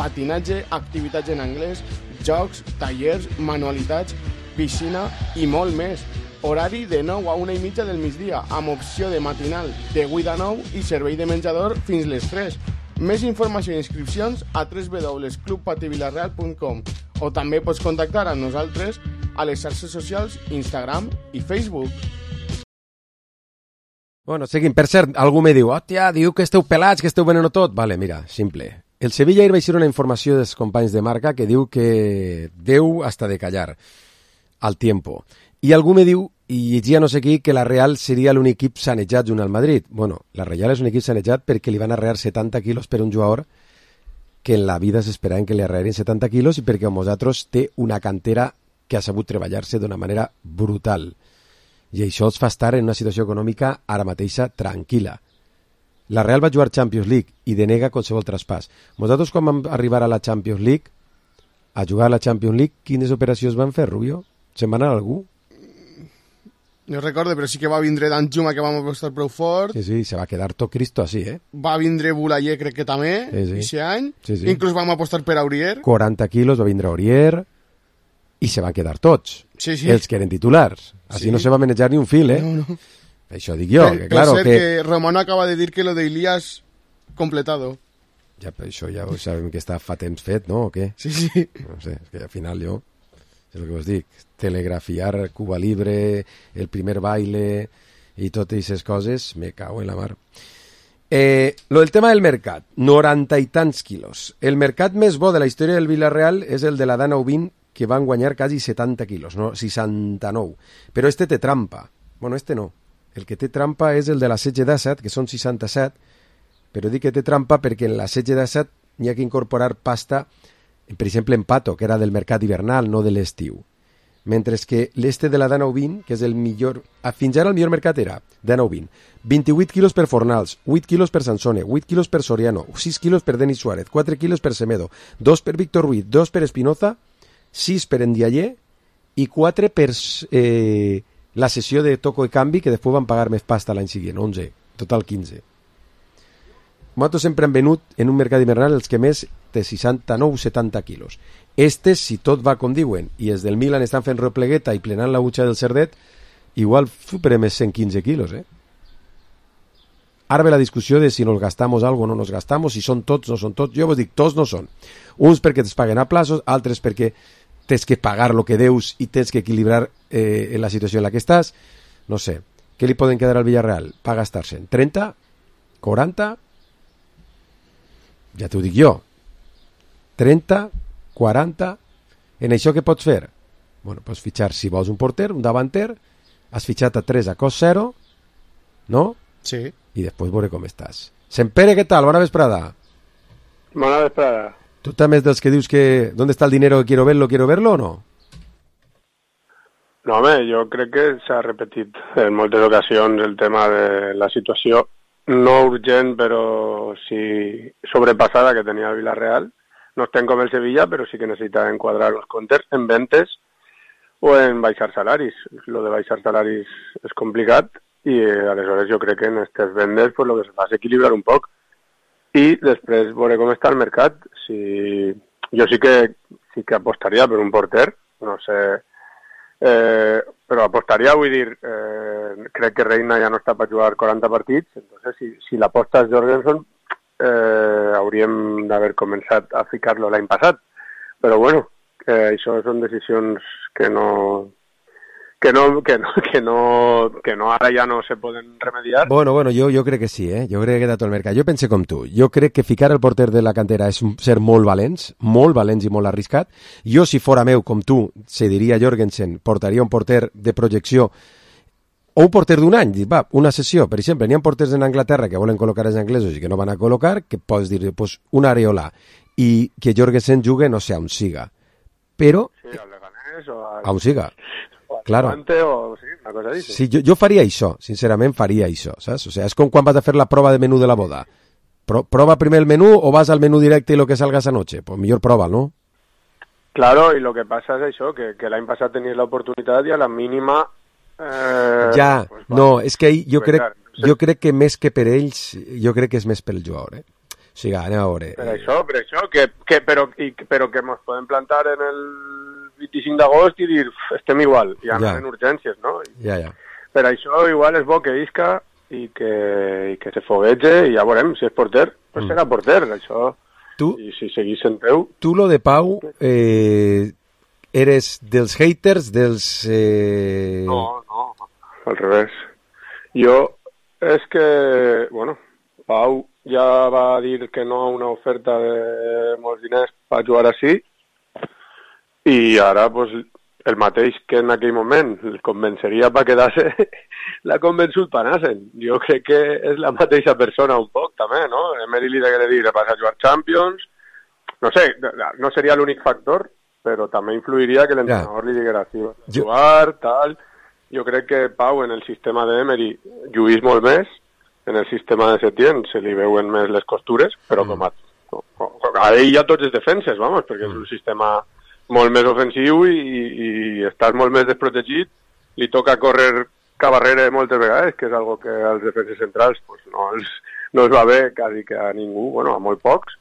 E: patinatge, activitats en anglès, jocs, tallers, manualitats, piscina i molt més. Horari de nou a una i mitja del migdia, amb opció de matinal de vuit a nou i servei de menjador fins les tres. Més informació i inscripcions a w w w punt club pati vilareal punt com o també pots contactar amb nosaltres a les xarxes socials Instagram i Facebook.
C: Bueno, seguim. Per cert, algú me diu, hòstia, diu que esteu pelats, que esteu venent tot. Vale, mira, simple. El Sevilla ahir va ser una informació dels companys de marca que diu que deu hasta de callar al tiempo. I algú me diu, i llegia no sé qui, que la Real seria l'únic equip sanejat junt al Madrid. Bueno, la Real és un equip sanejat perquè li van arrear setanta quilos per un jugador que en la vida s'esperaven que li arrearin setanta quilos i perquè amb nosaltres té una cantera que ha sabut treballar-se d'una manera brutal. I això els fa estar en una situació econòmica ara mateixa tranquil·la. La Real va jugar Champions League i denega qualsevol traspàs. Nosaltres, quan vam arribar a la Champions League, a jugar a la Champions League, quines operacions van fer, Rubio? Se'n va anar algú?
E: No recordo, però sí que va vindre Dan Juma, que vam apostar prou fort.
C: Sí, sí, se va quedar tot Cristo así, eh?
E: Va vindre Boulaye, crec que també, sí, sí. Ixe any. Sí, sí. Inclús vam apostar per Aurier.
C: quaranta quilos va vindre Aurier i se van quedar tots.
E: Sí, sí.
C: Els que eren titulars. Així sí. No se va manejar ni un fil, eh?
E: No, no.
C: Això dic jo.
E: Per,
C: que, claro,
E: per
C: que...
E: que Romano acaba de dir que lo de Ilías completado.
C: Ja, però això ja ho sabem que està fa temps fet, no? O què?
E: Sí, sí.
C: No sé, és que al final jo... És el que us dic, telegrafiar Cuba Libre, el primer baile i totes aquestes coses, me cago en la mar. Eh, lo del tema del mercat, noranta i tants quilos. El mercat més bo de la història del Villarreal és el de la Dana Ubin, que van guanyar quasi setanta quilos, no? seixanta-nou. Però este té trampa. Bueno, este no. El que té trampa és el de la Setge d'Assad, que són seixanta-set, però dic que té trampa perquè en la Setge d'Assad n'hi ha que incorporar pasta, per exemple, en pato, que era del mercat hivernal, no de l'estiu. Mentre que l'este de la Dana Ubin, que és el millor... Fins ara el millor mercat era Dana Ubin. vint-i-vuit quilos per Fornals, vuit quilos per Sansone, vuit quilos per Soriano, sis quilos per Denis Suárez, quatre quilos per Semedo, dos per Víctor Ruiz, dos per Espinoza, sis per Ndiaye i quatre per eh, la sessió de Toco i Canvi, que després van pagar més pasta l'any següent, onze, total quinze. Nosaltres sempre hem venut en un mercat hivernal els que més té seixanta-nou setanta quilos. Estes, si tot va com diuen, i els del Milan estan fent replegueta i plenant la butxa del cerdet, igual superem els cent quinze quilos, eh? Ara ve la discussió de si nos gastamos algo o no nos gastamos, si són tots o no són tots. Jo vos dic, tots no són. Uns perquè es paguen a plazos, altres perquè tens que pagar lo que deus i tens que equilibrar eh, la situació en la que estàs. No sé, què li poden quedar al Villarreal? Pa gastar-se'n trenta? quaranta? Ja t'ho dic jo. trenta? quaranta? En això què pots fer? Bueno, pots fitxar, si vols, un porter, un davanter, has fitxat a tres a cost zero, no?
E: Sí.
C: I després veure com estàs. Sempere, què tal? Bona vesprada.
B: Bona vesprada.
C: Tu també és dels que dius que ¿dónde está el dinero? Quiero verlo, quiero verlo o no?
B: No, home, jo crec que s'ha repetit en moltes ocasions el tema de la situació no urgent, però sí sobrepassada que tenia el Villarreal. No estem com el Sevilla, però sí que necessita enquadrar els comptes en ventes o en baixar salaris. Lo de baixar salaris és complicat i eh, aleshores jo crec que en aquestes vendes pues, lo que se fa és equilibrar un poc i després veure com està el mercat. Si... Jo sí que sí que apostaria per un porter, no sé, eh, però apostaria, vull dir, eh, crec que Reina ja no està per jugar quaranta partits, entonces si, si l'aposta és Jorgensen eh, hauríem d'haver començat a ficar-lo l'any passat, però bueno, eh, això són decisions que no... Que no, que, no, que, no, que no ara ja no se poden remediar.
C: Bueno, bueno, jo, jo crec que sí, eh? Jo crec que he quedat al mercat. Jo pense com tu. Jo crec que ficar el porter de la cantera és ser molt valents, molt valents i molt arriscat. Jo, si fora meu, com tu, se diria Jorgensen, portaria un porter de projecció o un porter d'un any, va, una sessió. Per exemple, n'hi ha porters en Anglaterra que volen col·locar els anglesos i que no van a col·locar, que pots dir, pues, un Areola, i que Jorgensen jugue, no sé, a on siga. Però...
B: Sí, al Leganés o al...
C: A on siga. Claro.
B: O, sí, una cosa així.
C: Sí, jo, jo faria això, sincerament faria això, saps? O sea, és com quan vas a fer la prova de menú de la boda. Pro, prova primer el menú o vas al menú directe i lo que salga esa noche? Pues millor prova, ¿no?
B: Claro, y lo que pasa es això, que, que l'any passat tenies l'oportunitat i a la mínima... Eh,
C: ja, pues,
B: va,
C: no, és que jo crec,
B: no sé.
C: jo crec que més que per ells, jo crec que és més pel jugador, eh? O sigui, anem a veure.
B: Per això, per això, que, que, però, i, però que ens podem plantar en el vint-i-cinc d'agost i dir, estem igual, i anar ja. en urgències, no? I,
C: ja, ja.
B: Per això igual és bo que isca i que, i que se foguege i ja veurem, si és porter, pues mm. serà porter, això,
C: tu,
B: i si seguís en teu.
C: Tu, lo de Pau, eh, eres dels haters, dels... Eh...
B: No, no, al revés. Jo, és que, bueno, Pau ja va dir que no a una oferta de molts diners per jugar així, i ara, pues, el mateix que en aquell moment el convenceria per quedar-se, l'ha convençut per anar-se'n. Jo crec que és la mateixa persona un poc, també, no? Emery li degué dir, vas a jugar Champions, no sé, no seria l'únic factor, però també influiria que l'entrenador ja. li diguera, sí, vas a jugar, tal... Jo crec que Pau en el sistema d'Emery lluís molt més, en el sistema de Setién se li veuen més les costures, però mm. com a, a ell hi ha tots els defenses, vamos, perquè mm. és un sistema molt més ofensiu i, i, i estàs molt més desprotegit, li toca córrer cap darrere moltes vegades, que és algo que als defenses centrals pues, no, els, no els va bé quasi que a ningú, bueno, a molt pocs,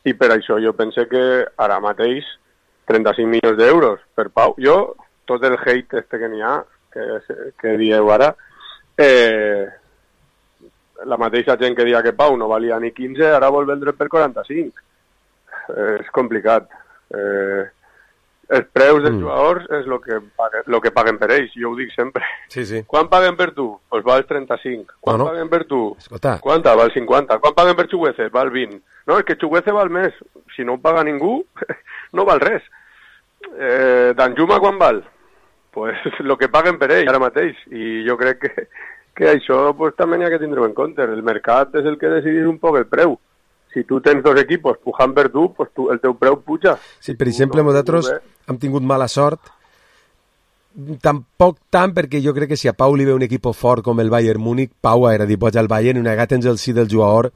B: i per això jo pense que ara mateix trenta-cinc milions d'euros per Pau. Jo, tot el hate este que n'hi ha, que, que dieu ara, eh, la mateixa gent que dia que Pau no valia ni quinze, ara vol vendre per quaranta-cinc. Eh, és complicat. Eh, els preus dels mm. jugadors és el que, paguen, lo que paguen per ells, jo ho dic sempre.
C: Sí, sí.
B: Quan paguen per tu? Pues val trenta-cinc. Quan
C: no, no.
B: paguen per tu?
C: Escolta.
B: Quanta? Val cinquanta. Quan paguen per Chuguece? Val vint. No, és que Chuguece val més. Si no ho paga ningú, no val res. Eh, Danjuma quan val? Pues el que paguen per ell ara mateix, i jo crec que, que això pues, també n'hi ha que tindre en compte. El mercat és el que decidís un poc el preu. Si tu tens dos equipos pujant per tu, pues tu, el teu preu puja.
C: Sí, per exemple, nosaltres hem tingut mala sort, tampoc tant, perquè jo crec que si a Pau li ve un equip fort com el Bayern Múnich, Pau era dir, pots al Bayern i una vegada tens el sí del jugador,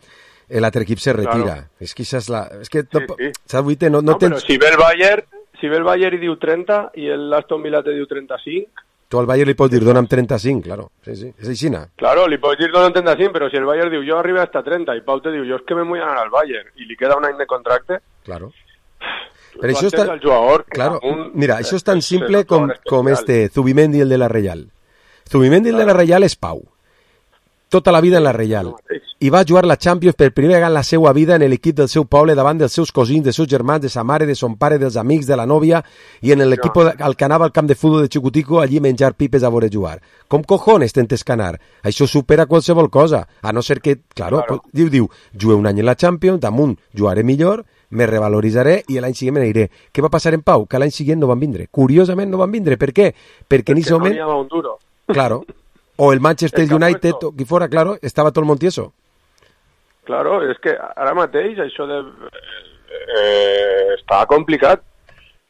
C: l'altre equip se retira. Claro. És que això és la... És que sí, sí. Saps, no, no, no tens...
B: Però si ve el Bayern... Si ve el Bayern i diu trenta i l'Aston Villa te diu trenta-cinc...
C: Tu al Bayern li pots dir dona'm trenta-cinc, claro. Sí, sí. És aixina.
B: Claro, li pots dir dona'm trenta-cinc, però si el Bayern diu jo arribo hasta trenta i Pau te diu jo és que me vull anar al Bayern i li queda un any de contracte...
C: Claro. Però això és tan...
B: jugador,
C: claro,
B: un...
C: mira, això és tan simple com, com este Zubimendi, el de la Reial. Zubimendi, el de la Reial, és Pau. Tota la vida en la Reial. I va jugar la Champions per primera vegada en la seva vida en l'equip del seu poble, davant dels seus cosins, dels seus germans, de sa mare, de son pare, dels amics, de la nòvia, i en l'equip no. al que anava al camp de futbol de Xicutico, allí menjar pipes a veure jugar. Com cojones tentes canar? Això supera qualsevol cosa, a no ser que, claro, claro. diu, diu, jugué un any en la Champions, damunt jugaré millor, me revaloritzaré i l'any següent me n'aniré. Què va passar en Pau? Que l'any següent no van vindre. Curiosament no van vindre. Per què? Perquè en aquest moment...
B: no hi un duro.
C: Claro. O el Manchester el United, o qui fora, claro, estava tot el món tieso.
B: Claro, és que ara mateix això de... Eh, està complicat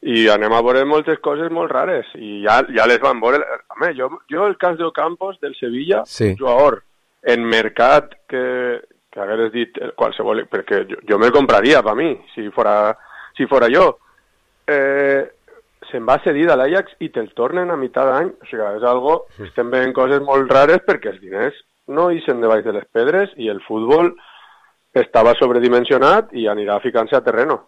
B: i anem a veure moltes coses molt rares i ja, ja les van veure... Home, jo, jo el cas d'Ocampos del Sevilla,
C: sí.
B: jugador en mercat que, que hagués dit qualsevol... Perquè jo, jo me'l compraria per mi, si fora, si fora jo. Eh... se'n va cedir a l'Ajax i te'l tornen a mitjà d'any. O sigui, és algo... Estem veient coses molt rares perquè els diners no ixen de baix de les pedres i el futbol estava sobredimensionat i anirà ficant-se a terreno.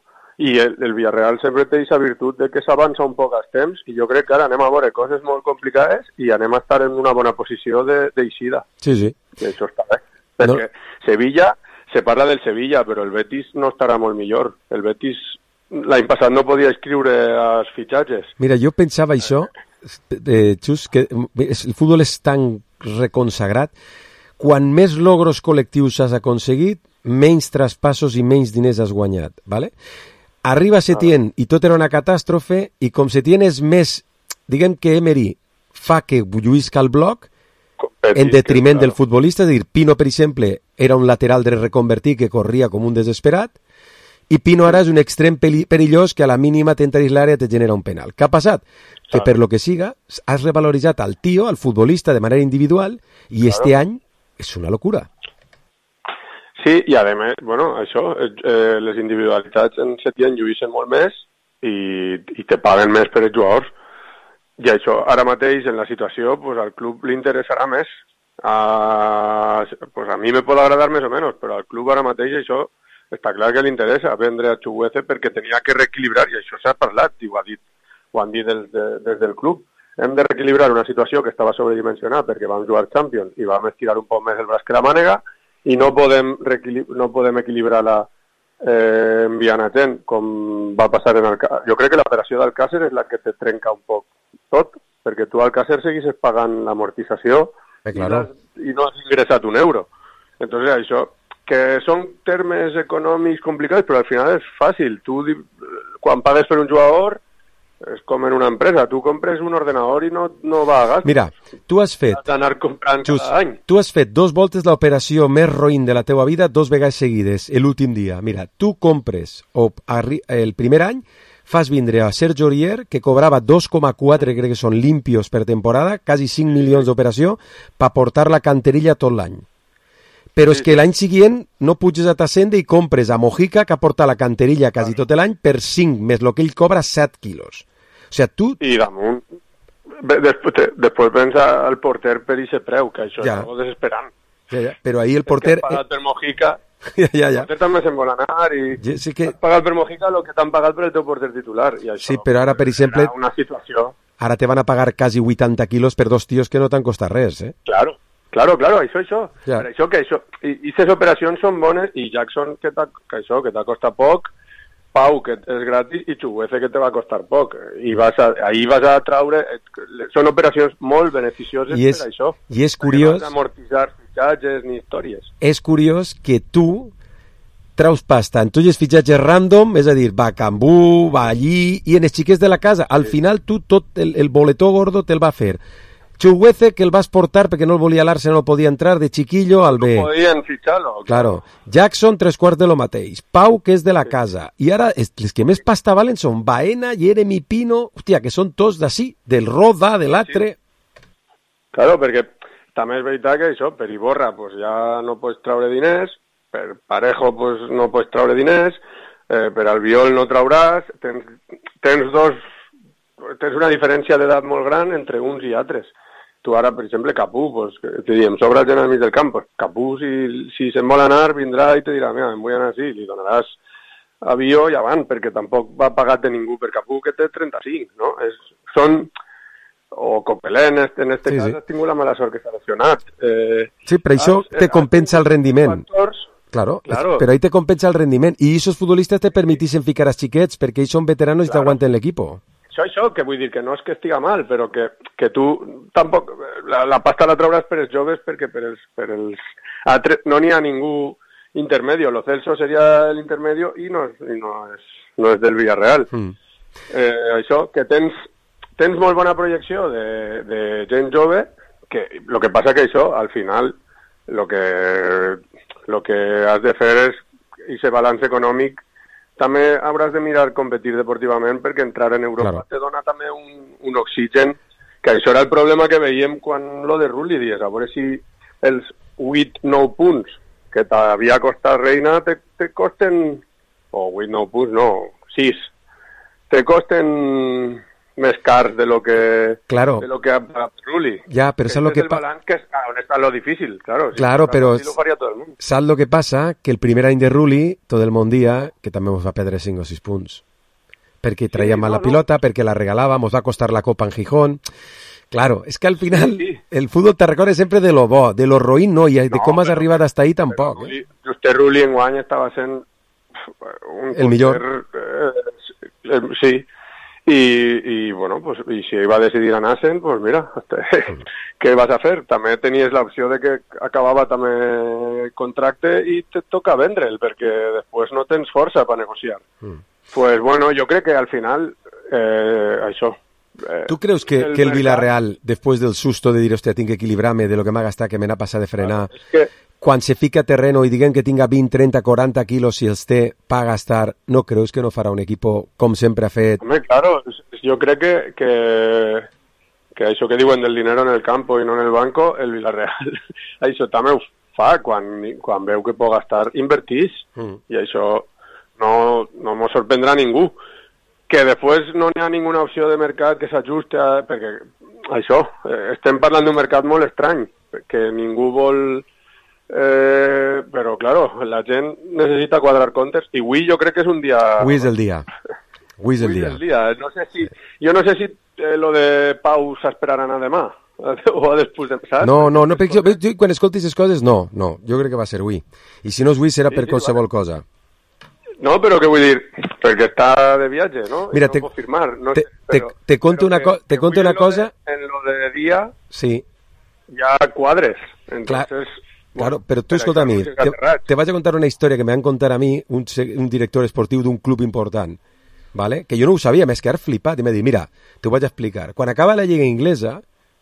B: I el, el Villarreal sempre té aquesta virtut de que s'avança un poc als temps i jo crec que ara anem a veure coses molt complicades i anem a estar en una bona posició d'eixida.
C: Sí, sí.
B: I això està bé. Perquè no. Sevilla, se parla del Sevilla, però el Betis no estarà molt millor. El Betis... L'any passat no podia escriure els fitxatges.
C: Mira, jo pensava això, eh, Xus, que el futbol és tan reconsagrat, quan més logros col·lectius has aconseguit, menys traspassos i menys diners has guanyat, ¿vale? Arriba Setién i tot era una catàstrofe, i com Setién és més, diguem que Emery fa que lluïsca el bloc, en detriment del futbolista, és a dir, Pino, per exemple, era un lateral de reconvertir que corria com un desesperat, i Pino ara és un extrem perillós que a la mínima tenta dins l'àrea te genera un penal. Què ha passat? Que per lo que siga, has revaloritzat al tio, al futbolista de manera individual, i claro. Este any és una locura.
B: Sí, i a més, bueno, això, eh, les individualitats en Setién lluïssen molt més i, i te paguen més per els jugadors. I això, ara mateix, en la situació, pues, al club li interessarà més. A, pues, a mi me pot agradar més o menys, però al club ara mateix això està clar que li interessa vendre a Chukwueze perquè tenia que reequilibrar, i això s'ha parlat, i ho, ha dit, ho han dit des, de, des del club. Hem de reequilibrar una situació que estava sobredimensionada perquè vam jugar Champions i vam estirar un poc més el braç que la mànega, i no podem, no podem equilibrar-la eh, enviant a gent, com va passar en Alcácer. Jo crec que l'operació d'Alcácer és la que te trenca un poc tot, perquè tu al Alcácer seguissis pagant l'amortització
C: eh, claro.
B: i, no, i no has ingressat un euro. Entonces, això, que són termes econòmics complicats, però al final és fàcil. Tu, quan pagues per un jugador, és com en una empresa. Tu compres un ordenador i no, no va a gastos.
C: Mira, tu has fet...
B: Has d'anar comprant
C: just,
B: cada any.
C: Tu has fet dos voltes l'operació més roïn de la teua vida dos vegades seguides, l'últim dia. Mira, tu compres o el primer any fas vindre a Serge Aurier, que cobrava dos coma quatre, crec que són limpios per temporada, quasi cinc milions d'operació, per portar la canterilla tot l'any. Però és que l'any següent no puges a Tassende i compres a Mojica, que aporta la canterilla quasi tot l'any, per cinc, més el que ell cobra set quilos. O sigui, tu...
B: I damunt, després, després pensa el porter per aquest preu, que això ja. És algo desesperant.
C: Ja, ja. Però ahir el porter...
B: És que has pagat per Mojica,
C: ja, ja, ja.
B: el porter també se'n vol anar i
C: ja, sí que...
B: has pagat per Mojica el que t'han pagat per el teu porter titular. I això,
C: sí, però ara, per exemple...
B: Una situació...
C: Ara te van a pagar quasi vuitanta quilos per dos tios que no t'han costat res, eh?
B: Claro. Claro, claro, això, això.
C: Ja.
B: Per això que això, i aquestes operacions són bones, i Jackson, que, que això, que t'ha costat poc, Pau, que és gratis, i Chukwueze, que te va costar poc. I vas a, ahí vas a traure... Són operacions molt beneficioses
C: I és,
B: per això.
C: I és curiós...
B: No has d'amortitzar fitxatges ni històries.
C: És curiós que tu traus pasta en tots els fitxatges random, és a dir, va a Cambú, va allí, i en els xiquets de la casa. Al sí. final tu tot el, el boletó gordo te'l va fer. Chukwueze, que el vas portar perquè no el volia l'Arsenal, no podia entrar de chiquillo al B.
B: No podien fitxar-lo.
C: Claro. Jackson, tres quarts de lo mateix. Pau, que és de la sí. casa. I ara, els que més pasta valen són Baena, Jeremy Pino, hòstia, que són tots d'ací, del Roda, de l'altre.
B: Sí. Claro, perquè també és veritat que això, per Iborra, pues ja no pots traure diners, per Parejo, pues no pots traure diners, eh, per Albiol no trauràs, tens, tens dos, tens una diferència d'edat molt gran entre uns i altres. Tu ara, per exemple, Capú, pues, te diem, sobra gent al mig del camp, pues, Capú, si, si se'n vol anar, vindrà i te dirà, mira, em vull anar així, li donaràs avió i avant, perquè tampoc va pagat de ningú per Capú, que té trenta-cinc, no? És, són, o Copelé, en este, en este sí, cas, sí. Has tingut la mala sort que s'ha lesionat. Eh,
C: sí, però això has, te compensa el rendiment.
B: Factors,
C: claro,
B: claro,
C: però ahí te compensa el rendiment, i aquests futbolistes te permetixen ficar als xiquets, perquè ells són veteranos i claro. T'aguanten l'equipo.
B: Això, això, que vull dir que no és que estiga mal, però que, que tu tampoc... La, la pasta la trauràs per els joves perquè per els... Per els altres, no n'hi ha ningú intermedio. Lo Celso seria l'intermedio i no és, i no és, no és del Villarreal. Mm. Eh, això, que tens, tens molt bona projecció de, de gent jove, que lo que passa que això, al final, lo que, lo que has de fer és aquest balanç econòmic. També hauràs de mirar competir deportivament perquè entrar en Europa claro. Te dona també un, un oxigen, que això era el problema que veiem quan lo de Rulli dies, a veure si els vuit nou punts que t'havia costat Reina te, te costen, o vuit nou punts, no, sis, te costen més cars de lo que
C: claro.
B: De lo que ha pagat Rulli.
C: Ja, però saps lo que
B: pasa? Que és on està lo difícil, claro.
C: Claro,
B: si
C: però
B: lo
C: saps lo que passa? Que el primer any de Rulli, tot el món dia, que també ens va perdre cinc o sis punts. Perquè traia sí, mal no, la pilota, no. Perquè la regalava, ens va costar la copa en Gijón. Claro, és que al final sí, sí. El fútbol te recorda sempre de lo bo, de lo roïn no, i de no, com has però, arribat hasta ahí tampoc.
B: Rulli, eh? Just Rulli en guany estava sent un
C: el millor.
B: Eh, eh, sí. I, i bueno, pues, i si va decidir anar-se'n, pues mira, què vas a fer? També tenies l'opció de que acabava també contracte i te toca vendre'l, perquè després no tens força per negociar. Mm. Pues bueno, jo crec que al final, eh, això... Eh,
C: ¿Tú creus que el, que el Villarreal, después del susto de dir, hostia, tinc que equilibrar-me de lo que m'ha gastat, que me n'ha passat de frenar,
B: claro, es que...
C: quan se fica a terreno i diguen que tinga vint, trenta, quaranta quilos si els té pa gastar, no creus que no farà un equipo com sempre ha fet?
B: Home, claro, jo crec que, que, que això que diuen del dinero en el campo i no en el banco, el Villarreal, això també ho fa, quan, quan veu que pot gastar, invertís, mm. i això no, no m'ho sorprendrà ningú. Que després no n'hi ha ninguna opció de mercat que s'ajuste, a, perquè això, eh, estem parlant d'un mercat molt estrany, que ningú vol... Eh, però, claro, la gent necessita quadrar comptes i avui jo crec que és un dia...
C: Avui és el dia. Avui és el dia.
B: el dia. No sé si, jo no sé si eh, lo de Pau s'esperaran a demà o a després de... Saps?
C: No, no, no perquè jo, jo, quan escoltis les coses, no, no, jo crec que va ser avui. I si no és avui serà
B: sí,
C: per
B: sí,
C: qualsevol
B: vale.
C: cosa.
B: No, però què vull dir? Perquè està de viatge, no?
C: Mira,
B: I no
C: te,
B: puc firmar. No
C: te,
B: sé, però,
C: te, te conto una, co te conto una cosa...
B: De, en lo de dia,
C: sí.
B: ja quadres. Entonces,
C: Clar, claro, però tu escolta a mi, te, te vaig a contar una història que me van contar a mi un, un director esportiu d'un club important, ¿vale? Que jo no ho sabia, m'he quedat flipat i m'ha dit, mira, t'ho vaig a explicar. Quan acaba la lliga inglesa,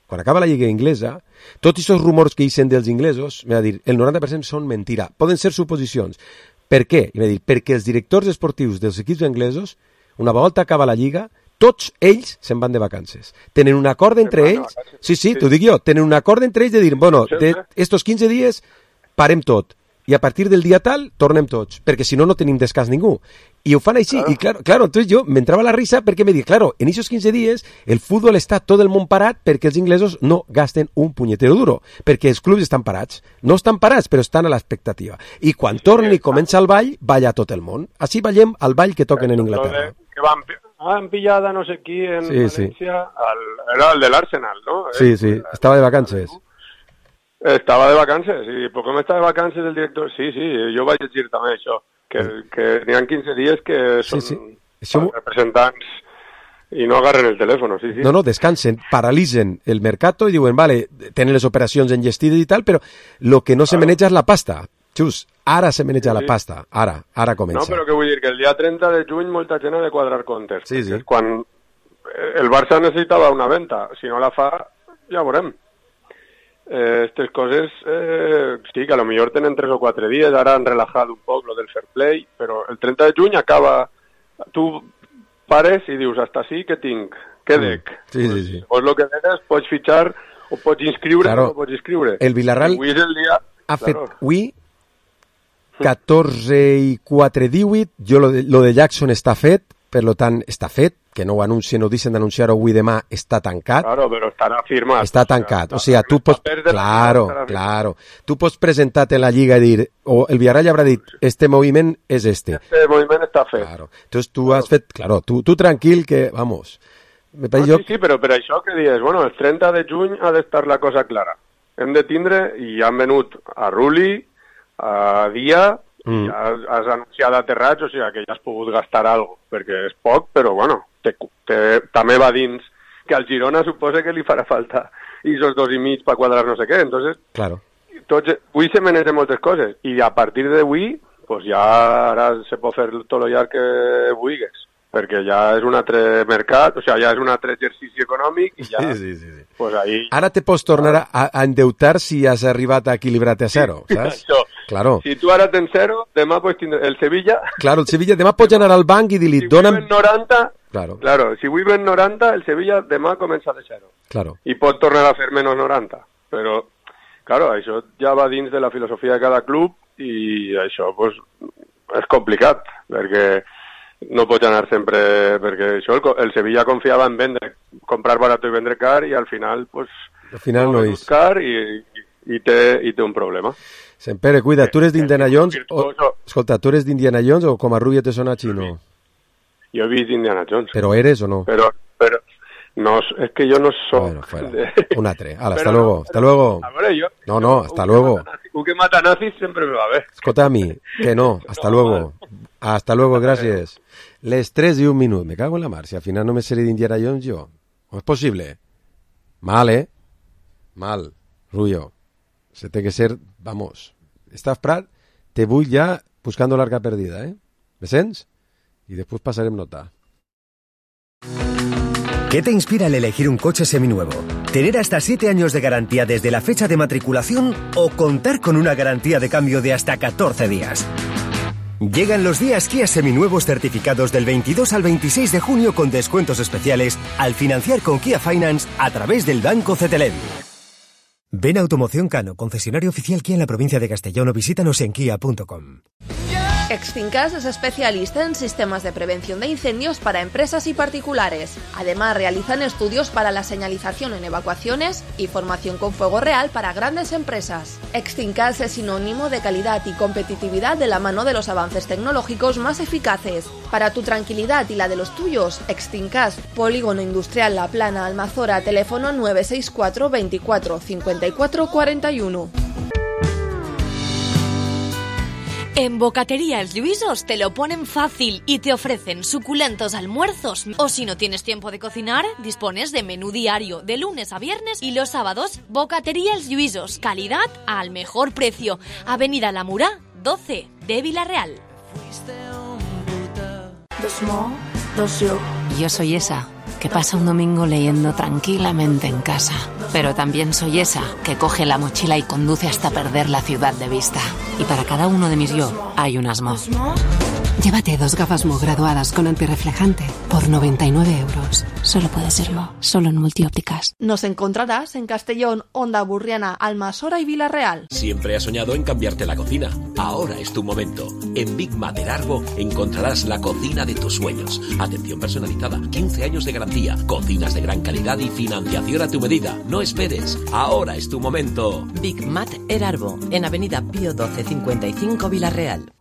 C: quan acaba la lliga inglesa, tots aquests rumors que hicen dels inglesos, m'ha dit, el noranta per cent són mentira, poden ser suposicions. Per què? I m'ha dit, perquè els directors esportius dels equips anglesos, una volta acaba la lliga, tots ells se'n van de vacances. Tenen un acord entre ells, sí, sí, t'ho dic jo, tenen un acord entre ells de dir, bueno, de estos quinze dies parem tot, i a partir del dia tal tornem tots, perquè si no no tenim descans ningú. I ho fan així, i claro, claro entonces jo m'entrava la risa perquè me dic, claro, en esos quinze dies el futbol està tot el món parat perquè els inglesos no gasten un punyetero duro, perquè els clubs estan parats, no estan parats però estan a l'expectativa, i quan tornen i comença el ball, balla tot el món. Així ballem al ball que toquen en Inglaterra.
B: Que van, van pillada no sé qui en
C: sí,
B: València,
C: sí.
B: Al, era el de l'Arsenal, ¿no?
C: Sí, sí, estava de vacances.
B: Estava de vacances, i per com està de vacances el director... Sí, sí, jo vaig llegir també això, que, que n'hi ha quinze dies que són sí, sí. Això... representants i no agarren el telèfon, sí, sí.
C: No, no, descansen, paralitzen el mercat i diuen, vale, tenen les operacions enllestides i tal, però lo que no se claro. maneja és la pasta. Xus, ara se maneja sí, la pasta, ara, ara comença.
B: No, però que vull dir que el dia trenta de juny molta gent ha de quadrar comptes.
C: Sí, sí.
B: Quan el Barça necessitava una venta, si no la fa, ja veurem. Estas eh, coses, eh, sí, que a lo millor tenen tres o quatre dies, ara han relajat un poc lo del fair play, però el trenta de juny acaba, tu pares i dius, hasta sí que tinc, què dec?
C: Sí, sí, sí.
B: Pues lo que degues, pots fitxar o pots inscriure claro. o no pots inscriure.
C: El Villarreal
B: avui és el dia,
C: ha
B: claro.
C: fet avui catorze i quatre divuit, jo lo de, lo de Jackson està fet, per lo tant està fet, que no ho anuncien o deixen d'anunciar-ho avui demà, està tancat.
B: Claro, però estarà firmat.
C: Està tancat, o sigui, tu pots... Claro, claro. Tu pots presentar-te en la Lliga i dir, o el Villarreal haurà dit, este moviment és este.
B: Este moviment està fet.
C: Claro. Entonces tu has fet, claro, tu, tu tranquil que, vamos...
B: Me no, jo... Sí, sí, però per això que dius, bueno, el trenta de juny ha d'estar la cosa clara. Hem de tindre, i han venut a Rulli, a Dia... Mm. Ja has anunciat aterrats, o sigui que ja has pogut gastar alguna cosa, perquè és poc, però bueno, te, te, també va dins que al Girona suposa que li farà falta i esos dos i mig per quadrar no sé què, entonces
C: claro.
B: Tots, avui se menegen moltes coses i a partir d'avui pues ja ara se pot fer tot el llarg que vulguis, perquè ja és un altre mercat, o sigui, ja és un altre exercici econòmic i ja,
C: sí, sí, sí, sí.
B: Pues ahí...
C: Ara te pots tornar a, a endeutar si has arribat a equilibrar-te a zero, saps?
B: Això.
C: Claro.
B: Si tu ara tens zero, demà pots tindre el Sevilla...
C: Claro, el Sevilla, demà pots anar al banc i dir-li...
B: Si
C: dona'm...
B: vull noranta,
C: claro.
B: claro, si vull ben noranta, el Sevilla demà comença de zero.
C: Claro.
B: I pot tornar a fer menys noranta. Però, claro, això ja va dins de la filosofia de cada club i això, pues, és complicat, perquè no pots anar sempre... Perquè això, el, el Sevilla confiava en vendre, comprar barat i vendre car i al final, pues...
C: Al final no, no és.
B: Car i, i, té, i té un problema.
C: Sempere, cuida, tu eres d'Indiana Jones o... Escolta, tu eres d'Indiana Jones o com a rubia te sona xino?
B: Jo he vist Indiana Jones.
C: Però eres o no?
B: Però, però no, es que yo no soy...
C: Bueno, fuera. De... Un atre. Hala, hasta luego, no, hasta luego.
B: A ver, yo,
C: no, no, hasta luego.
B: Un que mata nazis siempre me va a ver.
C: Escolta a mi, que no, hasta no, luego. Man. Hasta luego, gracias. Les tres y un minut, me cago en la mar, si al final no me seré d'Indiana Jones yo. ¿Cómo es posible? Mal, ¿eh? Mal, Rullo. Se té que ser, vamos... Estàs Prat, te vull ja buscando l'arca perdida, ¿eh? ¿Me sents? Y después pasarem nota.
D: ¿Qué te inspira al elegir un coche seminuevo? ¿Tener hasta siete años de garantía desde la fecha de matriculación o contar con una garantía de cambio de hasta catorce días? Llegan los días Kia seminuevos certificados del veintidós al veintiséis de junio con descuentos especiales al financiar con Kia Finance a través del Banco Cetelevi. Ven a Automoción Cano, concesionario oficial Kia en la provincia de Castellón o visítanos en kia punto com.
A: Extincas es especialista en sistemas de prevención de incendios para empresas y particulares. Además, realizan estudios para la señalización en evacuaciones y formación con fuego real para grandes empresas. Extincas es sinónimo de calidad y competitividad de la mano de los avances tecnológicos más eficaces. Para tu tranquilidad y la de los tuyos, Extincas, Polígono Industrial La Plana, Almazora, teléfono nueve seis cuatro veinticuatro cincuenta y cuatro cuarenta y uno.
F: En Bocatería Els Lluïsos te lo ponen fácil y te ofrecen suculentos almuerzos. O si no tienes tiempo de cocinar, dispones de menú diario de lunes a viernes y los sábados. Bocatería Els Lluïsos, calidad al mejor precio. Avenida La Murá, doce de Vila-real.
R: Dos mo, dos yo. Yo soy esa que pasa un domingo leyendo tranquilamente en casa. Pero también soy esa que coge la mochila y conduce hasta perder la ciudad de vista. Y para cada uno de mis yo hay unas mo. Llévate dos gafas Mo graduadas con antirreflejante por noventa y nueve euros. Solo puede ser Mo, solo en Multiópticas.
A: Nos encontrarás en Castellón, Onda Burriana, Almasora y Vila-real.
S: Siempre has soñado en cambiarte la cocina. Ahora es tu momento. En Big Mater Arbo encontrarás la cocina de tus sueños. Atención personalizada, quince años de garantía, cocinas de gran calidad y financiación a tu medida. No esperes, ahora es tu momento.
T: Big Mater Arbo, en Avenida Pío doce cincuenta y cinco Vila-real.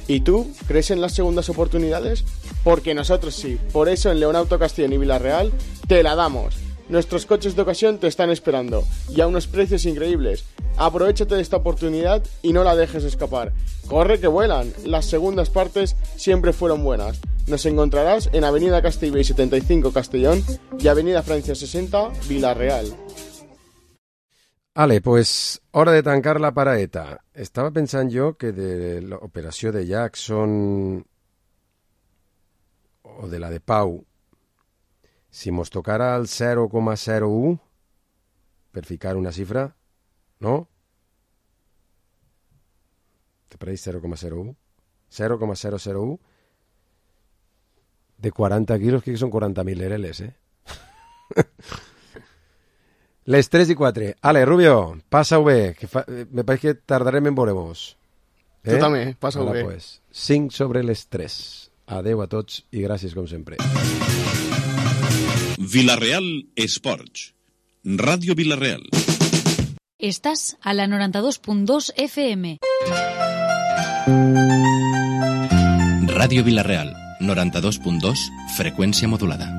E: ¿Y tú crees en las segundas oportunidades? Porque nosotros sí. Por eso en Leonauto Castellón y Vila-real te la damos. Nuestros coches de ocasión te están esperando y a unos precios increíbles. Aprovechate de esta oportunidad y no la dejes escapar. Corre que vuelan. Las segundas partes siempre fueron buenas. Nos encontrarás en Avenida Castellbell setenta y cinco Castellón y Avenida Francia sesenta Vila-real.
C: Ale, pues hora de tancar la paraeta. Estava pensant jo que de l'operació de Jackson o de la de Pau, si mos tocara el zero coma zero u, per ficar una xifra, no? Te pareix zero coma zero u? zero coma zero zero u de quaranta quilos, que són quaranta mil ereles, eh? Les tres i quatre. Ale, Rubio, passa-ho bé, que fa... me pareix que tardarem en veure-vos.
E: Eh? Tu també, passa-ho bé.
C: Pues, cinc sobre les tres. Adeu a tots i gràcies com sempre.
U: Vila-real Esports. Ràdio Vila-real.
K: Estás a la noranta-dos punt dos F M.
U: Ràdio Vila-real, noranta-dos punt dos, freqüència modulada.